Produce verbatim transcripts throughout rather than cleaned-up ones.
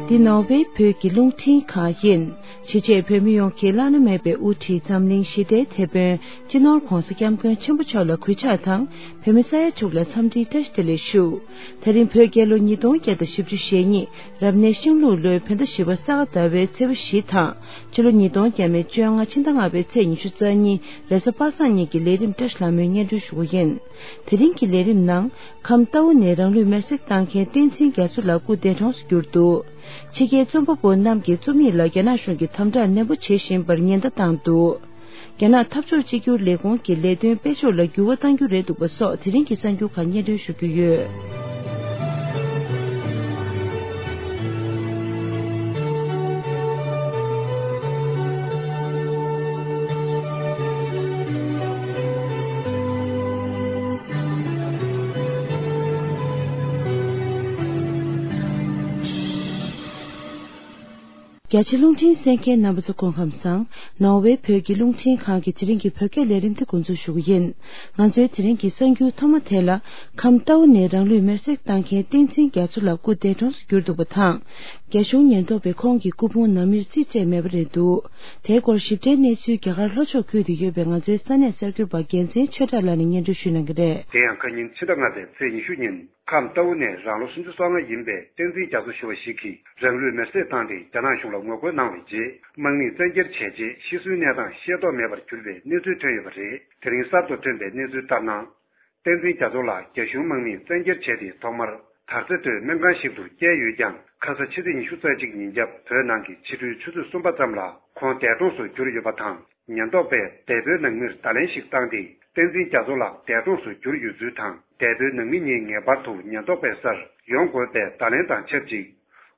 འདི་ནོར་ཝེ་བོད་ཀྱི་རླུང་འཕྲིན་ཁང་ཡིན། གཞིས་བྱེས་བོད་མི་ཡོངས་ཀྱི་བླ་ན་མེད་པའི་དབུ་ཁྲིད་འཛམ་གླིང་ཞི་བདེའི་དེད་དཔོན་སྤྱི་ནོར་༧གོང་ས་༧སྐྱབས་མགོན་ཆེན་པོ་མཆོག་ལ་གུས་ཕྱག་དང་། བོད་མི་ས་ཡ་ཕྱོགས་ལ་འཚམས་འདྲིའི་བཀྲ་ཤིས་བདེ་ལེགས་ཞུ། དེ་རིང་བོད་རྒྱལ་ལོ་ཉིས་སྟོང་བརྒྱ་དང་བཞི་བཅུ་ཞེ་གཉིས་རབ་གནས་ཤིང་ལུག་ལོའི་བོད་ཟླ་བཞི་པ་ས་ག་ཟླ་བའི་ཚེས་པ་བཞི་དང་། ཕྱི་ལོ་ཉིས་སྟོང་བརྒྱ་མེད་བཅོ་ལྔ་ཕྱི་ཟླ་ལྔ་པའི་ཚེས་ཉི་ཤུ་རྩ་གཉིས་རེས་གཟའ་པ་སངས་ཉིན་གྱི་ལས་རིམ་བཀྲ་ཤིས་ལྷ་མོས་སྙན་སྒྲོན་ཞུ་གི་ཡིན། དེ་རིང་གི་ལས་རིམ་ནང་། ཁམས་རྟའུ་ནས་རང་ལུས་མེར་སྲེག་བཏང་མཁན་བསྟན་འཛིན་རྒྱ་མཚོ་ལགས་སྐུ་འདས་གྲོངས་སུ་གྱུར་འདུག་ཕྱི་རྒྱལ་རྩོམ་པ་པོ་རྣམས་ཀྱི་རྩོམ་ཡིག་ལ་རྒྱ་ནག་གཞུང་གིས་དམ་དྲག་ནན་པོ་བྱེད་བཞིན་པར་ཉེན་བརྡ་བཏང་འདུག་རྒྱ་ནག་འཐབ་ཕྱོགས་གཅིག་གྱུར་ལས་ཁུངས་ཀྱི་ལས་དོན་སྤེལ་ཕྱོགས་ལ་འགྱུར་བ་གཏང་རྒྱུ་རེད་འདུག་པ་སོགས་དེ་རིང་གི་གསར་འགྱུར་ཁག་སྙན་སྒྲོན་ཞུ་རྒྱུ་ཡོད། རྒྱ་ཆེ་རླུང་འཕྲིན་གསན་མཁན་རྣམ་པ་ཚོ་སྐུ་ཁམས་བཟང་། ནོར་ཝེ་བོད་ཀྱི་རླུང་འཕྲིན་ཁང་གི་དེ་རིང་གི་བོད་སྐད་ལས་རིམ་དེ་འགོ་འཛུགས་ཞུ་གི་ཡིན། ང་ཚོའི་དེ་རིང་གི་གསར་འགྱུར་ཐོག་མ་དེ་ལ། ཁམས་རྟའུ་ནས་རང་ལུས་མེར་སྲེག་བཏང་མཁན་བསྟན་འཛིན་རྒྱ་མཚོ་ལགས་སྐུ་འདས་གྲོངས་སུ་གྱུར་འདུག་པ་དང་། རྒྱ་གཞུང་ཉེན་རྟོག་པས་ཁོང་གི་སྐུ་ཕུང་ནང་མིར་རྩིས་སྤྲད་མེད་པ་རེད་འདུག་དེའི་སྐོར་ཞིབ་ཕྲའི་གནས་ཚུལ་རྒྱ་གར་ལྷོ་ཕྱོགས་ཁུལ་དུ་ཡོད་པའི་ང་ཚོའི་ས་གནས་གསར་འགྱུར་པ་རྒྱལ་མཚན་ཆོས་གྲགས་ལགས་ནས་སྙན་སྒྲོན་ཞུ་གནང་གི་རེད། དེ་ཡང་ཁ་ཉིན་ཕྱི་ཟླ་ལྔ་པའི་ཚེས་ཉི་ཤུ་ཉིན། ཁམས་རྟའུ་ནས་རང་ལོ་སུམ་ཅུ་སོ་ལྔ་ཡིན་པའི་བསྟན་འཛིན་རྒྱ་མཚོ་ཞུ་བ་ཞིག་གིས་རང་ལུས་མེར་སྲེག་བཏང་སྟེ་རྒྱ་ནག་གཞུང་ལ་ངོ་རྒོལ་གནང་བའི་རྗེས། དམག་མིས་བཙན་འཁྱེར་བྱས་རྗེས་ཤི་གསོན་གནས་སྟངས་ཤེས་རྟོགས་མེད་པར་གྱུར་པའི་གནས་ཚུལ་ཐོན་ཡོད་པ་རེད། དེ་རིང་གསར་དུ་ཐོན་པའི་གནས་ཚུལ་ལྟར་ན། བསྟན་འཛིན་རྒྱ་མཚོ་ལགས་རྒྱ་གཞུང་དམག་མིས་བཙན་འཁྱེར་བྱས་ཏེ་ཐོག་མར་དར་རྩེ་སྟོད་སྨན་ཁང་ཞིག་ཏུ་བསྐྱལ་ཡོད་ཀྱང་། ཁ་ས་ཕྱི་ཚེས་ཉི་ཤུ་རྩ་གཅིག་ཉིན་རྒྱབ་བོད་ནང་གི་ཕྱི་དྲོའི་ཆུ་ཚོད་གསུམ་པ་ཙམ་ལ་ཁོང་འདས་གྲོངས་སུ་གྱུར་ཡོད་པ་དང་། ཉེན་རྟོག་པས་འདས་པོའི་ནང་མིར་བརྡ་ལན་ཞིག་བཏང་སྟེ། བསྟན་འཛིན་རྒྱ་མཚོ་ལགས་འདས་གྲོངས་སུ་གྱུར་ཡོད་ཚུལ་དང་། འདས་པོའི་ནང་མི་གཉིས་ངེས་པར་དུ་ཉེན་རྟོག་པའི་སར་ཡོང་དགོས་པའི་བརྡ་ལན་དང་ཆབས་ཅིག་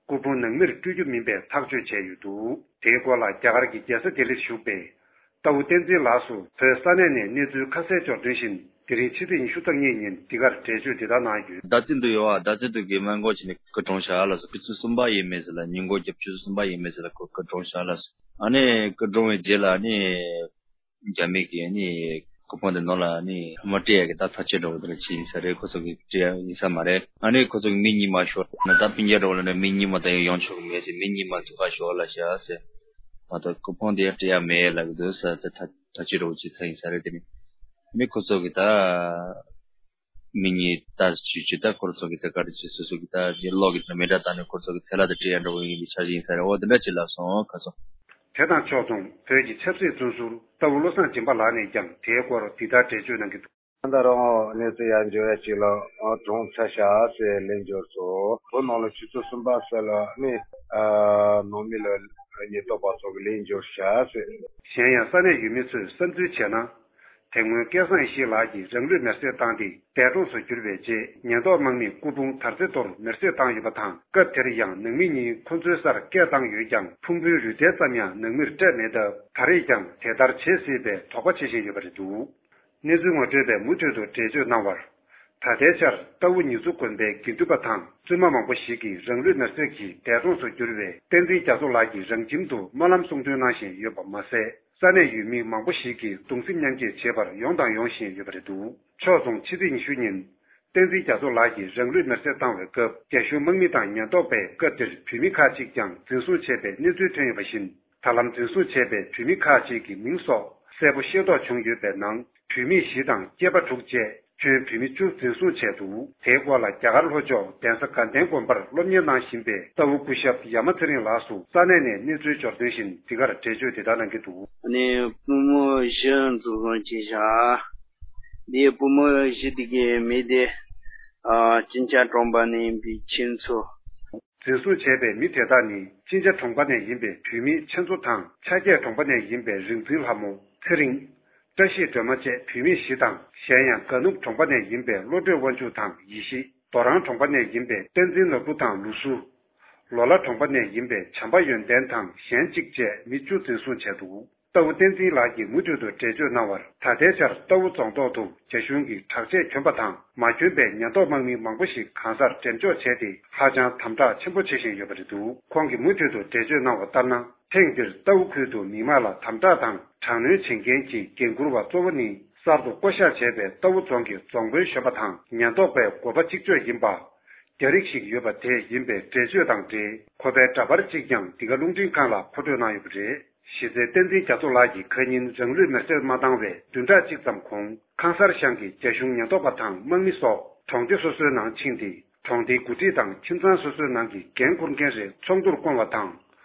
སྐུ་ཕུང་ནང་མིར་སྤྲོད་རྒྱུ་མིན་པའི་ཐག་གཅོད་བྱས་ཡོད་འདུག་དེའི་སྐོར་ལ་རྒྱ་གར་གྱི་རྒྱལ་ས་ལྡི་ལིར་བཞུགས་པའི་རྟའུ་བསྟན་འཛིན་ལགས་སུ་བོད་ས་གནས་ནས་གནས་ཚུལ་ཁ་གསལ་འབྱོར་དོན་བཞིན། དེ་རིང་ཕྱི་ཚེས་ཉི་ཤུ་རྩ་གཉིས་ཉིན་འདི་གར་འགྲེལ་བརྗོད་འདི་ལྟར་གནང་ཡོད། རྡ་རྩེ་དུ་ཡོད་པ། རྡ་རྩེ་དུ་གི་སྨན་ཁང་ཞིག་ནས་སྐུ་གྲོངས་ཤག་ལགས་སོ། ཆུ་ཚོད་གསུམ་པ་ཡས་མས་ཟེར་ལ། ཉིན་གུང་རྒྱབ་ཆུ་ཚོད་གསུམ་པ་ཡས་མས་ཟེར་ལ་སྐུ་སྐུ་གྲོངས་ཤག་ལགས་སོ། ཨ་ནི་སྐུ་གྲོངས་པའི་རྗེས་ལ་ཨ་ནི་རྒྱ་མི་གིས་ཨ་ནི་སྐུ་ཕུང་དེ་ནང་ལ་ཨ་ནི་མ་སྤྲད་ཡ་གི་ད་ཐག་གཅོད་འདྲ་བོ་དེ་འདྲ་བྱས་ཡིན་ས་རེད། ཁོ་ཚོ་གིས་སྤྲད་ཡ་ཡིན་ས་མ་རེད། ཨ་ནི་ཁོ་ཚོ་གིས་མི་གཉིས་མ་ཤོར་ན། ད་སྤུན་ཀྱག་འདྲ་བོ་ལ་ནི་མི་གཉིས་མ་ད་ཡང་ཡོང་ཆོག་གི་མེད་ཟེར། མི་གཉིས་མ་ཐུག་ག་ཤོག་ལབ་ཤག་ཟེར། མ་གཏོགས་སྐུ་ཕུང་དེ་ཡང་སྤྲད་ཡ་མེད་ལབ་ཀྱི་འདུག་ཟེར། ད་ཐག་ཐག་གཅོད་འདྲ་བོ་བྱས་ཚར་ཡིན་ས་རེད། དེ་ནི་ཨ་ནི་ཁོ་ཚོ་གིས་ད། མི་གཉིས་ལྟ་ཞུས་ཀྱི། ད་ཁོ་ཚོ་གི་ད་ག་རེ་བྱེད། སོ་སོ་གི་ད་གློག་གི་མེ་སྒྲ་བཏང་ནས་ཁོ་ཚོ་གི་ཐལ་བ་དེ་སྤྲད་ཡ་འདྲ་བོ་ཡིན་པའི་འཆར་གཞི་ཡིན་ས་རེད། འོ་དེ་འདྲ་ཅིག་ལབ་སོང་། ཁ་སོ། དེ་དང་ཕྱོགས་མཚུངས་བོད་ཀྱི་ཆབ་སྲིད་བཙོན་ཟུར་རྟའུ་བློ་བཟང་སྦྱིན་པ་ལགས་ནས་ཀྱང་དེའི་སྐོར་འདི་ལྟར་འགྲེལ་བརྗོད་གནང་གི་འདུག་ད་རུང་གནས་ཚུལ་ཡར་འབྱོར་ཡ་ཅིག་ལ་གྲོངས་ཚར་ཤག་ཟེར་ལན་འབྱོར་སོང་། བོད་ནང་ལ་ཆུ་ཚོད་གསུམ་པ་ཟེར་ལ་ནི་ནང་མི་ལ་ཉེན་རྟོག་པ་ཚོ་གི་ལན་འབྱོར་ཤག་ཟེར། གཞན་ཡང་ས་གནས་ཡུལ་མི་ཚོས་བསམ་ཚུལ་བྱས་ན། དེ་སྔོན་སྐལ་བཟང་ཡེ་ཤེས་ལགས་ཀྱིས་རང་ལུས་མེར་སྲེག་བཏང་སྟེ་འདས་གྲོངས་སུ་གྱུར་བའི་རྗེས། ཉེན་རྟོག་དམག་མིས་སྐུ་ཕུང་དར་རྩེ་མདོར་མེར་སྲེག་བཏང་ཡོད་པ་དང་། སྐབས་དེར་ཡང་ནང་མི་གཉིས་ཁོ་ཚོའི་སར་སྐད་བཏང་ཡོད་ཀྱང་། ཕུང་པོའི་རུས་ཐལ་ཙམ་ཡང་ནང་མིར་སྤྲད་མེད་སྟབས། ད་རེས་ཀྱང་དེ་ལྟར་བྱེད་སྲིད་པའི་དོགས་པ་བྱེད་བཞིན་ཡོད་པ་རེད་འདུག་གནས་ཚུལ་ངོ་སྤྲོད་པས་མུ་མཐུད་དུ་འགྲེལ་བརྗོད་གནང་བར། ད་ལྟའི་ཆར་རྟའུ་ཉི་ཚུ་དགོན་པའི་དགེ་འདུན་པ་དང་བཙུན་མ་མང་པོ་ཞིག་གིས་རང་ལུས་མེར་སྲེག་གིས་འདས་གྲོངས་སུ་གྱུར་བའི་བསྟན་འཛིན་རྒྱ་མཚོ་ལགས་ཀྱི་རང་ཁྱིམ་དུ་སྨོན་ལམ་གསུང་འདོན་གནང་བཞིན་ཡོད་པ་མ་ཟད། ས་གནས་ཡུལ་མི་མང་པོ་ཞིག་གིས་གདུང་སེམས་མཉམ་སྐྱེད་བྱེད་པར་ཡོང་དང་ཡོང་བཞིན་ཡོད་པ་རེད་འདུག་ཕྱོགས་མཚུངས་ཕྱི་ཚེས་ཉི་ཤུ་ཉིན། བསྟན་འཛིན་རྒྱ་མཚོ་ལགས་ཀྱིས་རང་ལུས་མེར་སྲེག་བཏང་བའི་སྐབས། རྒྱ་གཞུང་དམག་མི་དང་ཉེན་རྟོག་པས་སྐབས་དེར་བོད་མི་ཁག་ཅིག་ཀྱང་འཛིན་བཟུང་བྱས་པའི་གནས་ཚུལ་ཐོན་ཡོད་པ་བཞིན། ད་ལམ་འཛིན་བཟུང་བྱས་པའི་བོད་མི་ཁག་ཅིག་གི་མིང་སོགས་གསལ་པོ་ཤེས་རྟོགས་བྱུང་ཡོད་པའི་ནང་། བོད་མི་བཞི་དང་སྐྱེས་པ་དྲུག་བཅས་ཁྱོན་བོད་མི་བཅུ་འཛིན་བཟུང་བྱས་འདུག་དེའི་སྐོར་ལ་རྒྱ་གར་ལྷོ་ཕྱོགས་གདན་ས་དགའ་ལྡན་དགོན་པར་སློབ་གཉེར་གནང་བཞིན་པའི་རྟའུ་སྐུ་ཞབས་ཡ་མ་ཚེ་རིང་ལགས་སུ་ས་གནས་ནས་གནས་ཚུལ་འབྱོར་དོན་བཞིན་འདི་གར་འགྲེལ་བརྗོད་འདི་ལྟར་གནང་གི་འདུག་ཨ་ནི་སྤུན་མོ་བཞི་འཛིན་བཟུང་བྱས་བཞག་འདིའི་སྤུན་མོ་བཞི་དེ་གའི་མི་དེ་ཨ་ཅིན་ཅ་གྲོང་པ་ནས་ཡིན་པའི་ཁྱེད་ཚོ། འཛིན་བཟུང་བྱས་པའི་མི་དེ་དག་ནི་ཅིན་ཅ་གྲོང་པ་ནས་ཡིན་པའི་བོད་མི་ཆེ་མཚོ་དང་ཆ་སྐྱེས་གྲོང་པ་ནས་ཡིན་པའི་རིག་འཛིན་ལྷ་མོ་ཚེ་རིང་། བཀྲ་ཤིས་སྒྲོལ་མ་བཅས་བོད་མི་བཞི་དང་། གཞན་ཡང་དགའ་ནུབ་གྲོང་པ་ནས་ཡིན་པའི་བློ་གྲོས་དབང་ཕྱུག་དང་ཡེ་ཤེས། རྡོ་རོང་གྲོང་པ་ནས་ཡིན་པའི་བསྟན་འཛིན་ནོར་བུ་དང་ལུ་སུ། ལོ་ལ་གྲོང་པ་ནས་ཡིན་པའི་བྱམས་པ་ཡོན་ཏན་དང་གཞན་གཅིག་བཅས་མི་བཅུ་འཛིན་བཟུང་བྱས་འདུག་རྟའུ་བསྟན་འཛིན་ལགས་ཀྱིས་མུ་མཐུད་དུ་འགྲེལ་བརྗོད་གནང་བར། ད་ལྟའི་ཆར་རྟའུ་རྫོང་ཐོག་ཏུ་རྒྱ་གཞུང་གིས་དྲག་ཆས་གྱོན་པ་དང་མ་གྱོན་པའི་ཉེན་རྟོག་དམག་མི་མང་པོ་ཞིག་གང་སར་འགྲེམས་འཇོག་བྱས་ཏེ། ཧ་ཅང་དམ་དྲག་ཆེན་པོ་བྱེད་བཞིན་ཡོད་པ་རེད་འདུག་ཁོང་གིས་མུ་མཐུད་དུ་འགྲེལ་བརྗོད་གནང་བ་ལྟར་ན། ཐེངས་འདིར་རྟའུ་ཁུལ་དུ་མི་མང་ལ་དམ་དྲག་དང་དྲག་གནོན་བྱེད་མཁན་གྱི་འགན་འཁུར་བ་གཙོ་བོ་ནི། གསར་དུ་བསྐོ་གཞག་བྱས་པའི་རྟའུ་རྫོང་གི་རྫོང་དཔོན་གཞོན་པ་དང་། ཉེན་རྟོག་པའི་འགོ་པ་གཅིག་ལྕོགས་ཡིན་པ། རྒྱ་རིགས་ཤིག་ཡོད་པ་དེ་ཡིན་པའི་འགྲེལ་བརྗོད་དང་འབྲེལ། ཁོ་པའི་འདྲ་པར་གཅིག་ཀྱང་འདི་ག་རླུང་འཕྲིན་ཁང་ལ་མཁོ་སྤྲོད་གནང་ཡོད་པ་རེད། གཞི་རྩའི་བསྟན་འཛིན་རྒྱ་མཚོ་ལགས་ཀྱིས་ཁ་ཉིན་རང་ལུས་མེར་སྲེག་མ་བཏང་བའི་བདུན་ཕྲག་གཅིག་ཙམ་གོང་། ཁང་གསར་ཤང་གི་རྒྱ་གཞུང་ཉེན་རྟོག་པ་དང་དམག་མི་སོགས་གྲོང་སྡེ་སོ་སོའི་ནང་ཕྱིན་ཏེ། གྲོང་སྡེའི་འགོ་ཁྲིད་དང་ཁྱིམ་ཚང་སོ་སོའི་ནང་གི་འགན་འཁུར་མཁན་རེ་ཚོགས་འདུར་བསྐོང་བ་དང་།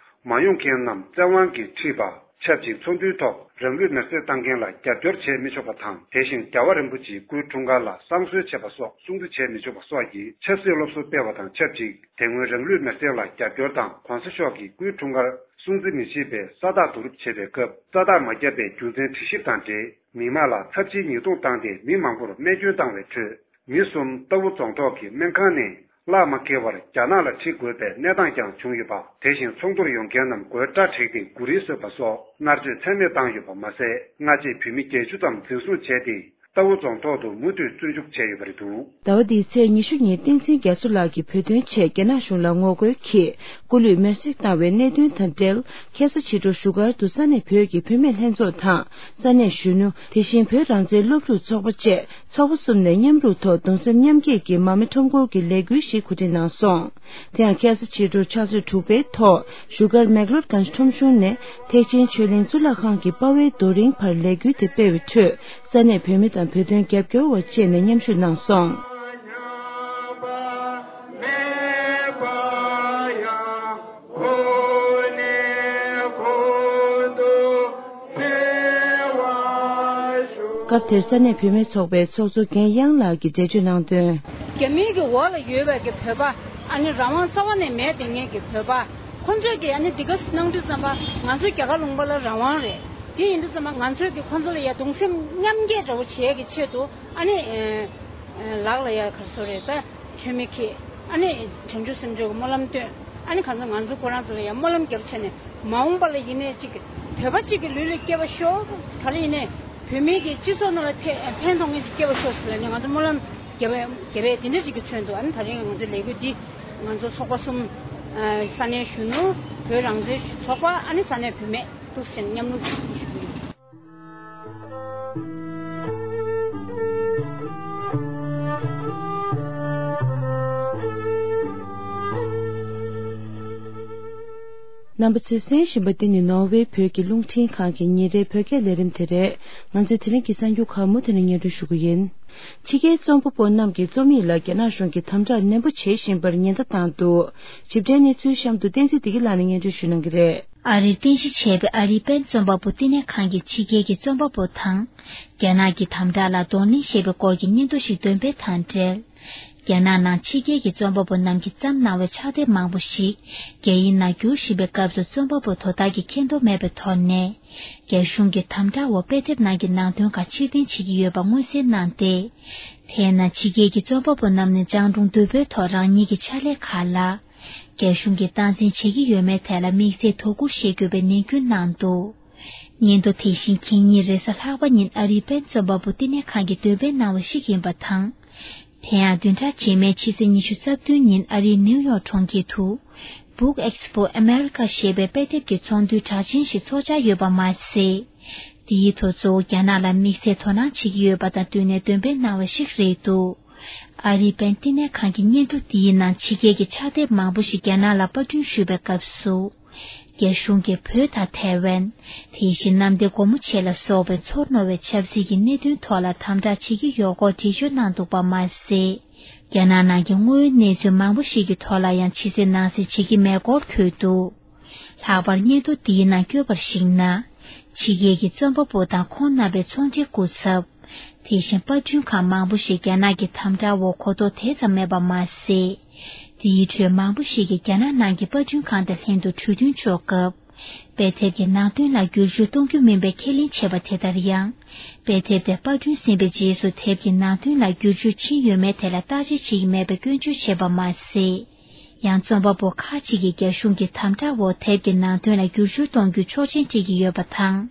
མ་ཡོང་མཁན་རྣམས་བཙན་དབང་གིས་ཁྲིད་པ། ཆབས་ཅིག་ཚོགས་འདུའི་ཐོག་རང་ལུས་མེར་སྲེག་བཏང་མཁན་ལ་རྒྱབ་སྐྱོར་བྱེད་མི་ཆོག་པ་དང་། དེ་བཞིན་རྒྱལ་བ་རིན་པོ་ཆེའི་སྐུའི་འཁྲུངས་སྐར་ལ་བསང་གསོལ་བྱེད་པ་སོགས་སྲུང་བརྩི་བྱེད་མི་ཆོག་པ་སོགས་ཀྱི་ཆབ་སྲིད་སློབ་གསོ་སྤེལ་བ་དང་ཆབས་ཅིག་དེ་སྔོན་རང་ལུས་མེར་སྲེག་ལ་རྒྱབ་སྐྱོར་དང་གོང་ས་མཆོག་གི་སྐུའི་འཁྲུངས་སྐར་སྲུང་བརྩི་མི་བྱེད་པའི་ས་རྟགས་བསྡུ་རུབ་བྱེད་པའི་སྐབས། ས་རྟགས་མ་བརྒྱབ་པའི་རྒྱུ་མཚན་དྲི་ཞིབ་དང་འབྲེལ། མི་དམངས་ལ་ཚབས་ཆེའི་ཉེས་རྡུང་བཏང་སྟེ་མི་མང་པོར་རྨས་སྐྱོན་བཏང་བའི་ཁྲོད། མི་གསུམ་རྟའུ་རྫོང་ཐོག་གི་སྨན་ཁང་ནས་གླགས་མ་འཁེལ་བར་རྒྱ་ནག་ལ་ཁྲིད་དགོས་པའི་གནས་སྟངས་ཀྱང་བྱུང་ཡོད་པ། དེ་བཞིན་ཚོགས་འདུར་ཡོང་མཁན་རྣམས་སྒོའི་སྐྲ་བྲེགས་ཏེ་མགོ་རིལ་བཟོས་པ་སོགས་མནར་གཅོད་ཚད་མེད་བཏང་ཡོད་པ་མ་ཟད། སྔ་རྗེས་བོད་མི་བརྒྱད་ཅུ་ཙམ་འཛིན་བཟུང་བྱས་ཏེ། རྟའུ་རྫོང་ཐོག་ཏུ་མུ་མཐུད་བཙོན་འཇུག་བྱས་ཡོད་པ་རེད་འདུག་ཟླ་བ་འདིའི་ཚེས་ཉི་ཤུ་ཉིན་བསྟན་འཛིན་རྒྱ་མཚོ་ལགས་ཀྱིས་བོད་དོན་ཆེད་རྒྱ་ནག་གཞུང་ལ་ངོ་རྒོལ་གྱིས་སྐུ་ལུས་མེར་སྲེག་བཏང་བའི་གནད་དོན་དང་འབྲེལ། ཁ་སང་ཕྱི་དྲོ་བཞུགས་སྒར་དུ་ས་གནས་བོད་ཀྱི་བུད་མེད་ལྷན་ཚོགས་དང་། ས་གནས་གཞོན་ནུ། དེ་བཞིན་བོད་རང་བཙན་སློབ་ཕྲུག་ཚོགས་པ་བཅས་ཚོགས་པ་གསུམ་ནས་མཉམ་རུབ་ཐོག་གདུང་སེམས་མཉམ་སྐྱེད་ཀྱི་མར་མེ་ཁྲོམ་སྐོར་གྱི་ལས་འགུལ་ཞིག་གོ་སྒྲིག་གནང་སོང་། དེ་ཡང་ཁ་སང་ཕྱི་དྲོ་ཕྱག་ཚོད་དྲུག་པའི་ཐོག་བཞུགས་སྒར་མེག་ལོར་གངས་ཁྲོམ་གཞུང་ནས་ཐེག་ཆེན་ཆོས་གླིང་གཙུག་ལག་ཁང་གི་དཔའ་བོའི་རྡོ་རིང་བར་ལས་འགུལ་དེ་སྤེལ་བའི་ཁྲོད། ས་གནས་བོད་མི་དང་བོད་དོན་རྒྱབ་སྐྱོར་བ་བཅས་ནས་མཉམ་ཞུགས་གནང་སོང་། སྐབས་དེར་ས་གནས་བུད་མེད་ཚོགས་པའི་ཚོགས་གཙོ་རྒན་གཡང་ལགས་ཀྱིས་འགྲེལ་བརྗོད་གནང་དོན། རྒྱ་མིའི་གི་འོག་ལ་ཡོད་པའི་གི་བོད་པ། ཨ་ནི་རང་དབང་རྩ་བ་ནས་མེད་དེ་ངེད་ཀྱི་བོད་པ། ཁོང་ཚོས་ཀྱི་ཨ་ནི་འདི་ག་གནང་དུས་ཙམ་པ་ང་ཚོ་རྒྱ་གར་ལུང་པ་ལ་རང་དབང་རེད། དེ་ཡིན་དུས་ཙམ་པ་ང་ཚོས་ཀྱི་ཁོང་ཚོ་ལ་ཡ་གདུང་སེམས་མཉམ་སྐྱེད་འདྲ་བོ་བྱེད་ཀྱི་ཆེད་དུ། ཨ་ནི་ལག་ལ་ཡ་ག་རེ་ཟེར་རེད། ད་མཆོད་མེ་ཁྱེར། ཨ་ནི་བྱང་ཆུབ་སེམས་མཆོག་གི་སྨོན་ལམ་བཏོན། ཨ་ནི་གང་ཚོ་ང་ཚོ་ཁོ་རང་ཚོ་ལ་ཡང་སྨོན་ལམ་རྒྱབ་བྱས་ནས། མ་འོངས་པ་ལ་ཡིན་ནའི་གཅིག་བོད་པ་གཅིག་གི་ལུས་ལ་སྐྱེ་བ་ཤོག་ག་རེ་ཡིན་ནའི་བོད་མིའི་གི་སྤྱི་ཚོགས་ནང་ལ་ཐེ་ཕན་ཐོགས་མཁན་ཅིག་སྐྱེ་བ་ཤོག་ཟེར་ལབ་ནས་ང་ཚོ་སྨོན་ལམ་རྒྱབ་པའི་རྒྱབ་པའི་དེ་འདྲ་ཅིག་གི་ཚུལ་དུ། ཨ་ནི་ད་རིང་ང་ཚོའི་ལས་འགུལ་འདི་ང་ཚོ་ཚོགས་པ་གསུམ། ས་གནས་གཞོན་ནུ། བོད་རང་བཙན་ཚོགས་པ། ཨ་ནི་ས་གནས་བུད་མེད་འདུག་ཟེར་མཉམ་རུབ་ཞུ་གི་ཡོད། རྣམ་པ་ཚོས་གསན་བཞིན་པ་འདི་ནི་ནོར་ཝེ་བོད་ཀྱི་རླུང་འཕྲིན་ཁང་གི་ཉིན་རེའི་བོད་སྐད་ལས་རིམ་དེ་རེད། ང་ཚོའི་དེ་རིང་གི་གསར་འགྱུར་ཁག་མུ་མཐུད་ནས་སྙན་སྒྲོན་ཞུ་གི་ཡིན། ཕྱི་རྒྱལ་རྩོམ་པ་པོ་རྣམས་ཀྱི་རྩོམ་ཡིག་ལ་རྒྱ་ནག་གཞུང་གིས་དམ་དྲག་ནན་པོ་བྱེད་བཞིན་པར་ཉེན་བརྡ་བཏང་འདུག་ཞིབ་ཕྲའི་གནས་ཚུལ་གཤམ་དུ་བསྟན་འཛིན་བདེ་སྐྱིད་ལགས་ནས་སྙན་སྒྲོན་ཞུ་གནང་གི་རེད། ཨ་རིར་རྟེན་གཞི་བྱས་པའི་ཨ་རིའི་པེན་རྩོམ་པ་པོ་བསྟི་གནས་ཁང་གིས་ཕྱི་རྒྱལ་གྱི་རྩོམ་པ་པོ་དང་། རྒྱ་ནག་གི་དམ་དྲག་ལ་གདོང་ལེན་བྱེད་པའི་སྐོར་གྱི་སྙན་ཐོ་ཞིག་འདོན་སྤེལ་དང་འབྲེལ། རྒྱ་ནག་ནང་ཕྱི་རྒྱལ་གྱི་རྩོམ་པ་པོ་རྣམས་ཀྱིས་བརྩམས་གནང་བའི་ཕྱག་དེབ་མང་པོ་ཞིག་རྒྱ་ཡིག་ནང་བསྒྱུར་བཞིན་པའི་སྐབས་སུ། རྩོམ་པ་པོ་དོ་བདག་གིས་མཁྱེན་རྟོགས་མེད་པའི་ཐོག་ནས། རྒྱ་གཞུང་གི་དམ་དྲག་འོག་དཔེ་དེབ་ནང་གི་ནང་དོན་ཁག་ཕྱིར་འཐེན་བྱེད་ཀྱི་ཡོད་པ་མངོན་གསལ་གནང་སྟེ། དེས་ན་ཕྱི་རྒྱལ་གྱི་རྩོམ་པ་པོ་རྣམས་ནས་སྤྱང་གྲུང་དུལ་པོའི་ཐོག་རང་ཉིད་ཀྱི་ཕྱག་ལས་ཁག་ལ། རྒྱ་གཞུང་གིས་སྟངས་འཛིན་བྱེད་ཀྱི་ཡོད་མེད་ཐད་ལ་དམིགས་བསལ་དོ་ཁུར་བཞེས་དགོས་པའི་ནན་སྐུལ་གནང་འདུག་སྙན་ཐོ་དེ་བཞིན་ཁ་ཉིན་རེས་གཟའ་ལྷག་པ་ཉིན་ཨ་རིའི་པེན་རྩོམ་པ་པོ་བསྟི་གནས་ཁང་གིས་འདོན་སྤེལ་གནང་བ་ཞིག་ཡིན་པ་དང་། དེ་ཡང་བདུན་ཕྲག་རྗེས་མའི་ཕྱི་ཚེས་ཉི་ཤུ་རྩ་བདུན་ཉིན་ཨ་རིའི་ནིའུ་ཡོག་གྲོང་ཁྱེར་དུ། Book Expo America ཞེས་པའི་དཔེ་དེབ་ཀྱི་ཚོགས་འདུའི་གྲ་ཆེན་ཞིག་འཚོགས་འཆར་ཡོད་པ་མ་ཟད། དེའི་ཐོག་གཙོ་བོ་རྒྱ་ནག་ལ་དམིགས་བསལ་དོ་སྣང་བྱེད་ཀྱི་ཡོད་པ་དང་བསྟུན་ནས་འདོན་སྤེལ་གནང་བ་ཞིག་རེད་འདུག་ཨ་རིའི་པེན་བསྟི་གནས་ཁང་གི་སྙན་ཐོ་འདིའི་ནང་ཕྱི་རྒྱལ་གྱི་ཕྱག་དེབ་མང་པོ་ཞིག་རྒྱ་ནག་ལ་པར་སྐྲུན་ཞུས་པའི་སྐབས་སུ། རྒྱ་གཞུང་གིས་བོད་དང་ཐའེ་ཝན། དེ་བཞིན་གནམ་བདེ་སྒོ་མོ་ཆེ་ལ་སོགས་པའི་ཚོར་རྣོ་བའི་ཆབ་སྲིད་ཀྱི་གནད་དོན་ཐོག་ལ་དམ་དྲག་བྱེད་ཀྱི་ཡོད་སྐོར་འགྲེལ་བརྗོད་གནང་འདུག་པ་མ་ཟད། རྒྱ་ནག་ནང་གི་དངོས་ཡོད་གནས་ཚུལ་མང་པོ་ཞིག་གི་ཐོག་ལ་ཡང་ཕྱི་གསལ་ནང་གསལ་བྱེད་ཀྱི་མེད་སྐོར་འཁོད་འདུག་ལྷག་པར་སྙན་ཐོ་འདིའི་ནང་བཀོད་པར་གཞིགས་ན། ཕྱི་རྒྱལ་གྱི་རྩོམ་པ་པོ་དང་ཁོང་རྣམ་པའི་ཚོང་འབྲེལ་སྐུ་ཚབ། དེ་བཞིན་པར་སྐྲུན་ཁང་མང་པོ་ཞིག་རྒྱ་ནག་གི་དམ་དྲག་འོག་གོ་རྟོགས་དེ་ཙམ་མེད་པ་མ་ཟད། དེའི་ཁྲོད་མང་པོ་ཞིག་གིས་རྒྱ་ནག་ནང་གི་པར་སྐྲུན་ཁང་དང་ལྷན་དུ་གྲོས་མཐུན་འཇོག་སྐབས། དཔེ་དེབ་ཀྱི་ནང་དོན་ལ་བསྒྱུར་བཅོས་གཏོང་རྒྱུ་མིན་པའི་ཁས་ལེན་བྱས་པ་དེ་ལྟར་ཡང་། དཔེ་དེབ་དེ་པར་སྐྲུན་ཟིན་པའི་རྗེས་སུ་དེབ་ཀྱི་ནང་དོན་ལ་བསྒྱུར་བཅོས་ཕྱིན་ཡོད་མེད་ཐད་ལ་བརྟག་དཔྱད་བྱེད་ཀྱི་མེད་པའི་སྐྱོན་བརྗོད་བྱས་པ་མ་ཟད། ཡང་རྩོམ་པ་པོ་ཁག་ཅིག་གིས་རྒྱ་གཞུང་གི་དམ་དྲག་འོག་དེབ་ཀྱི་ནང་དོན་ལ་བསྒྱུར་བཅོས་གཏོང་རྒྱུའི་ཆོག་མཆན་སྤྲད་ཀྱི་ཡོད་པ་དང་།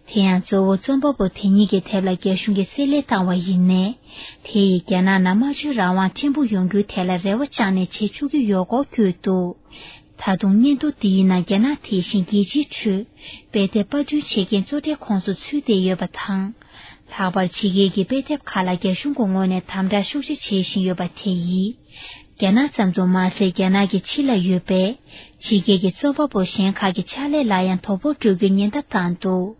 དེ་ཡང་གཙོ་བོ་རྩོམ་པ་པོ་དེ་ཉིད་ཀྱི་དེབ་ལ་རྒྱ་གཞུང་གིས་བསྲེ་ལྷད་བཏང་བ་ཡིན་ནའི། དེ་ཡིས་རྒྱ་ནག་ནང་སྨྲ་བརྗོད་རང་དབང་ཕྲན་བུ་ཡོང་རྒྱུའི་ཐད་ལ་རེ་བ་བཅངས་ནས་བྱེད་ཆོག་གི་ཡོད་སྐོར་བཀོད་འདུག་ད་དུང་སྙན་ཐོ་འདིའི་ནང་རྒྱ་ནག་དེ་བཞིན་རྒྱལ་སྤྱིའི་ཁྲོད་དཔེ་དེབ་པར་སྐྲུན་བྱེད་མཁན་གཙོ་གྲས་ཁོངས་སུ་ཚུད་བསྡད་ཡོད་པ་དང་། ལྷག་པར་ཕྱི་རྒྱལ་གྱི་དཔེ་དེབ་ཁག་ལ་རྒྱ་གཞུང་གི་ངོས་ནས་དམ་དྲག་ཤུགས་ཆེ་བྱེད་བཞིན་ཡོད་པ་དེ་ཡིས། རྒྱ་ནག་ཙམ་དུ་མ་ཟད། རྒྱ་ནག་གི་ཕྱི་ལ་ཡོད་པའི་ཕྱི་རྒྱལ་གྱི་རྩོམ་པ་པོ་གཞན་ཁག་གི་ཕྱག་ལས་ལ་ཡང་དོ་ཕོག་འགྲོ་རྒྱུའི་ཉེན་བརྡ་བཏང་འདུག།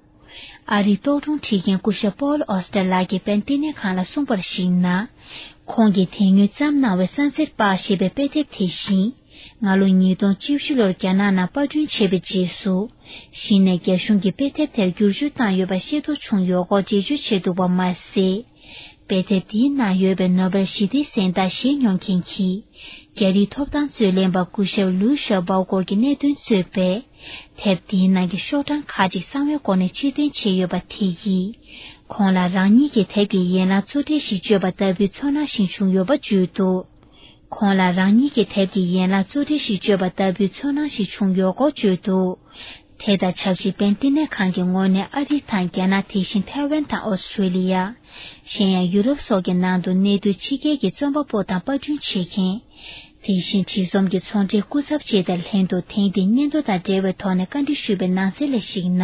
ཨ་རིའི་རྟོག་སྒྲུང་བྲིས་མཁན་སྐུ་ཞབས་པོལ་ཨོ་སྟར་ལགས་ཀྱིས་པན་བསྟི་གནས་ཁང་ལ་གསུངས་པར་གཞིགས་ན། ཁོང་གིས་དེ་སྔོན་བརྩམས་གནང་བའི་གསང་ཚེར་པགས་ཞེས་པའི་དཔེ་དེབ་དེ་བཞིན། སྔ་ལོ་ཉིས་སྟོང་བཅུ་བཞི་ལོར་རྒྱ་ནག་ནང་པར་སྐྲུན་བྱས་པའི་རྗེས་སུ། གཞི་ནས་རྒྱ་གཞུང་གིས་དཔེ་དེབ་དེར་བསྒྱུར་བཅོས་བཏང་ཡོད་པ་ཤེས་རྟོགས་བྱུང་ཡོད་སྐོར་འགྲེལ་བརྗོད་བྱས་འདུག་པ་མ་ཟད། དཔེ་དེབ་འདིའི་ནང་ཡོད་པའི་ནོ་བེལ་ཞི་བདེའི་གཟེངས་རྟགས་བཞེས་མྱོང་མཁན་གྱི། རྒྱ་རིགས་ཐོབ་ཐང་རྩོད་ལེན་པ་སྐུ་ཞབས་ལུའུ་ཞའོ་པའོ་སྐོར་གྱི་གནད་དོན་གཙོས་པའི། དེབ་འདིའི་ནང་གི་ཤོག་གྲངས་ཁག་ཅིག་གསང་བའི་སྒོ་ནས་ཕྱིར་འཐེན་བྱས་ཡོད་པ་དེ་ཡིས། ཁོང་ལ་རང་ཉིད་ཀྱི་དེབ་ཀྱི་ཡན་ལག་གཙོ་གྲས་ཤིག་བཅོས་པ་ལྟ་བུའི་ཚོར་སྣང་ཞིག་བྱུང་ཡོད་པ་བརྗོད་འདུག། ཁོང་ལ་རང་ཉིད་ཀྱི་དེབ་ཀྱི་ཡན་ལག་གཙོ་གྲས་ཤིག་བཅོས་པ་ལྟ་བུའི་ཚོར་སྣང་ཞིག་བྱུང་ཡོད་སྐོར་བརྗོད་འདུག། དེ་དང་ཆབས་ཅིག་པན་བསྟི་གནས་ཁང་གི་ངོས་ནས་ཨ་རི་དང་རྒྱ་ནག། དེ་བཞིན་ཐའེ་ཝན་དང་ཨོ་སི་ཀྲེ་ལི་ཡ། གཞན་ཡང་ཡུ་རོབ་སོགས་ཀྱི་ནང་དུ་གནས་སྡོད་ཕྱི་རྒྱལ་གྱི་རྩོམ་པ་པོ་དང་པར་སྐྲུན་བྱེད་མཁན། དེ་བཞིན་བྲིས་རྩོམ་གྱི་ཚོང་འབྲེལ་སྐུ་ཚབ་བཅས་དང་ལྷན་དུ་ཐེངས་འདིའི་སྙན་ཐོ་དང་འབྲེལ་བའི་ཐོག་ནས་བཀའ་འདྲི་ཞུས་པའི་ནང་གསལ་ལ་གཞིགས་ན།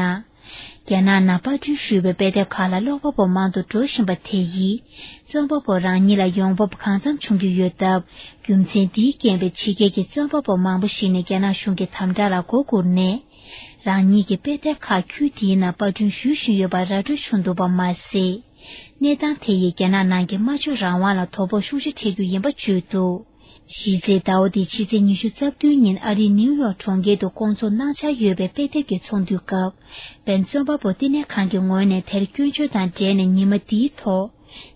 རྒྱ་ནག་ནང་པར་སྐྲུན་ཞུས་པའི་དཔེ་དེབ་ཁག་ལ་ཀློག་པ་པོ་མང་དུ་འགྲོ་བཞིན་པ་དེ་ཡིས། རྩོམ་པ་པོ་རང་ཉིད་ལ་ཡོང་འབབ་གང་འཚམ་བྱུང་གི་ཡོད་སྟབས། རྒྱུ་མཚན་འདིའི་རྐྱེན་པས་ཕྱི་རྒྱལ་གྱི་རྩོམ་པ་པོ་མང་པོ་ཞིག་ནས་རྒྱ་ནག་གཞུང་གི་དམ་དྲག་ལ་མགོ་སྒུར་ནས། རང་ཉིད་ཀྱི་དཔེ་དེབ་ཁག་ཁུལ་དེའི་ནང་པར་སྐྲུན་ཞུ་བཞིན་ཡོད་པ་ར་སྤྲོད་བྱུང་འདུག་པ་མ་ཟད། གནས་སྟངས་དེ་ཡིས་རྒྱ་ནག་ནང་གི་སྨྲ་བརྗོད་རང་དབང་ལ་དོ་ཕོག་ཤུགས་ཆེ་འཕྲད་རྒྱུ་ཡིན་པ་བརྗོད་འདུག། གཞི་རྩའི་ཟླ་བ་འདིའི་ཕྱི་ཚེས་ཉི་ཤུ་རྩ་བདུན་ཉིན་ཨ་རིའི་ནིའུ་ཡོག་གྲོང་ཁྱེར་དུ་བསྐོང་ཚོགས་གནང་འཆར་ཡོད་པའི་དཔེ་དེབ་ཀྱི་ཚོགས་འདུའི་སྐབས། པན་རྩོམ་པ་པོ་བསྟི་གནས་ཁང་གི་ངོས་ནས་དེར་སྐྱོན་བརྗོད་དང་འབྲེལ་ནས་ཉི་མ་འདིའི་ཐོག་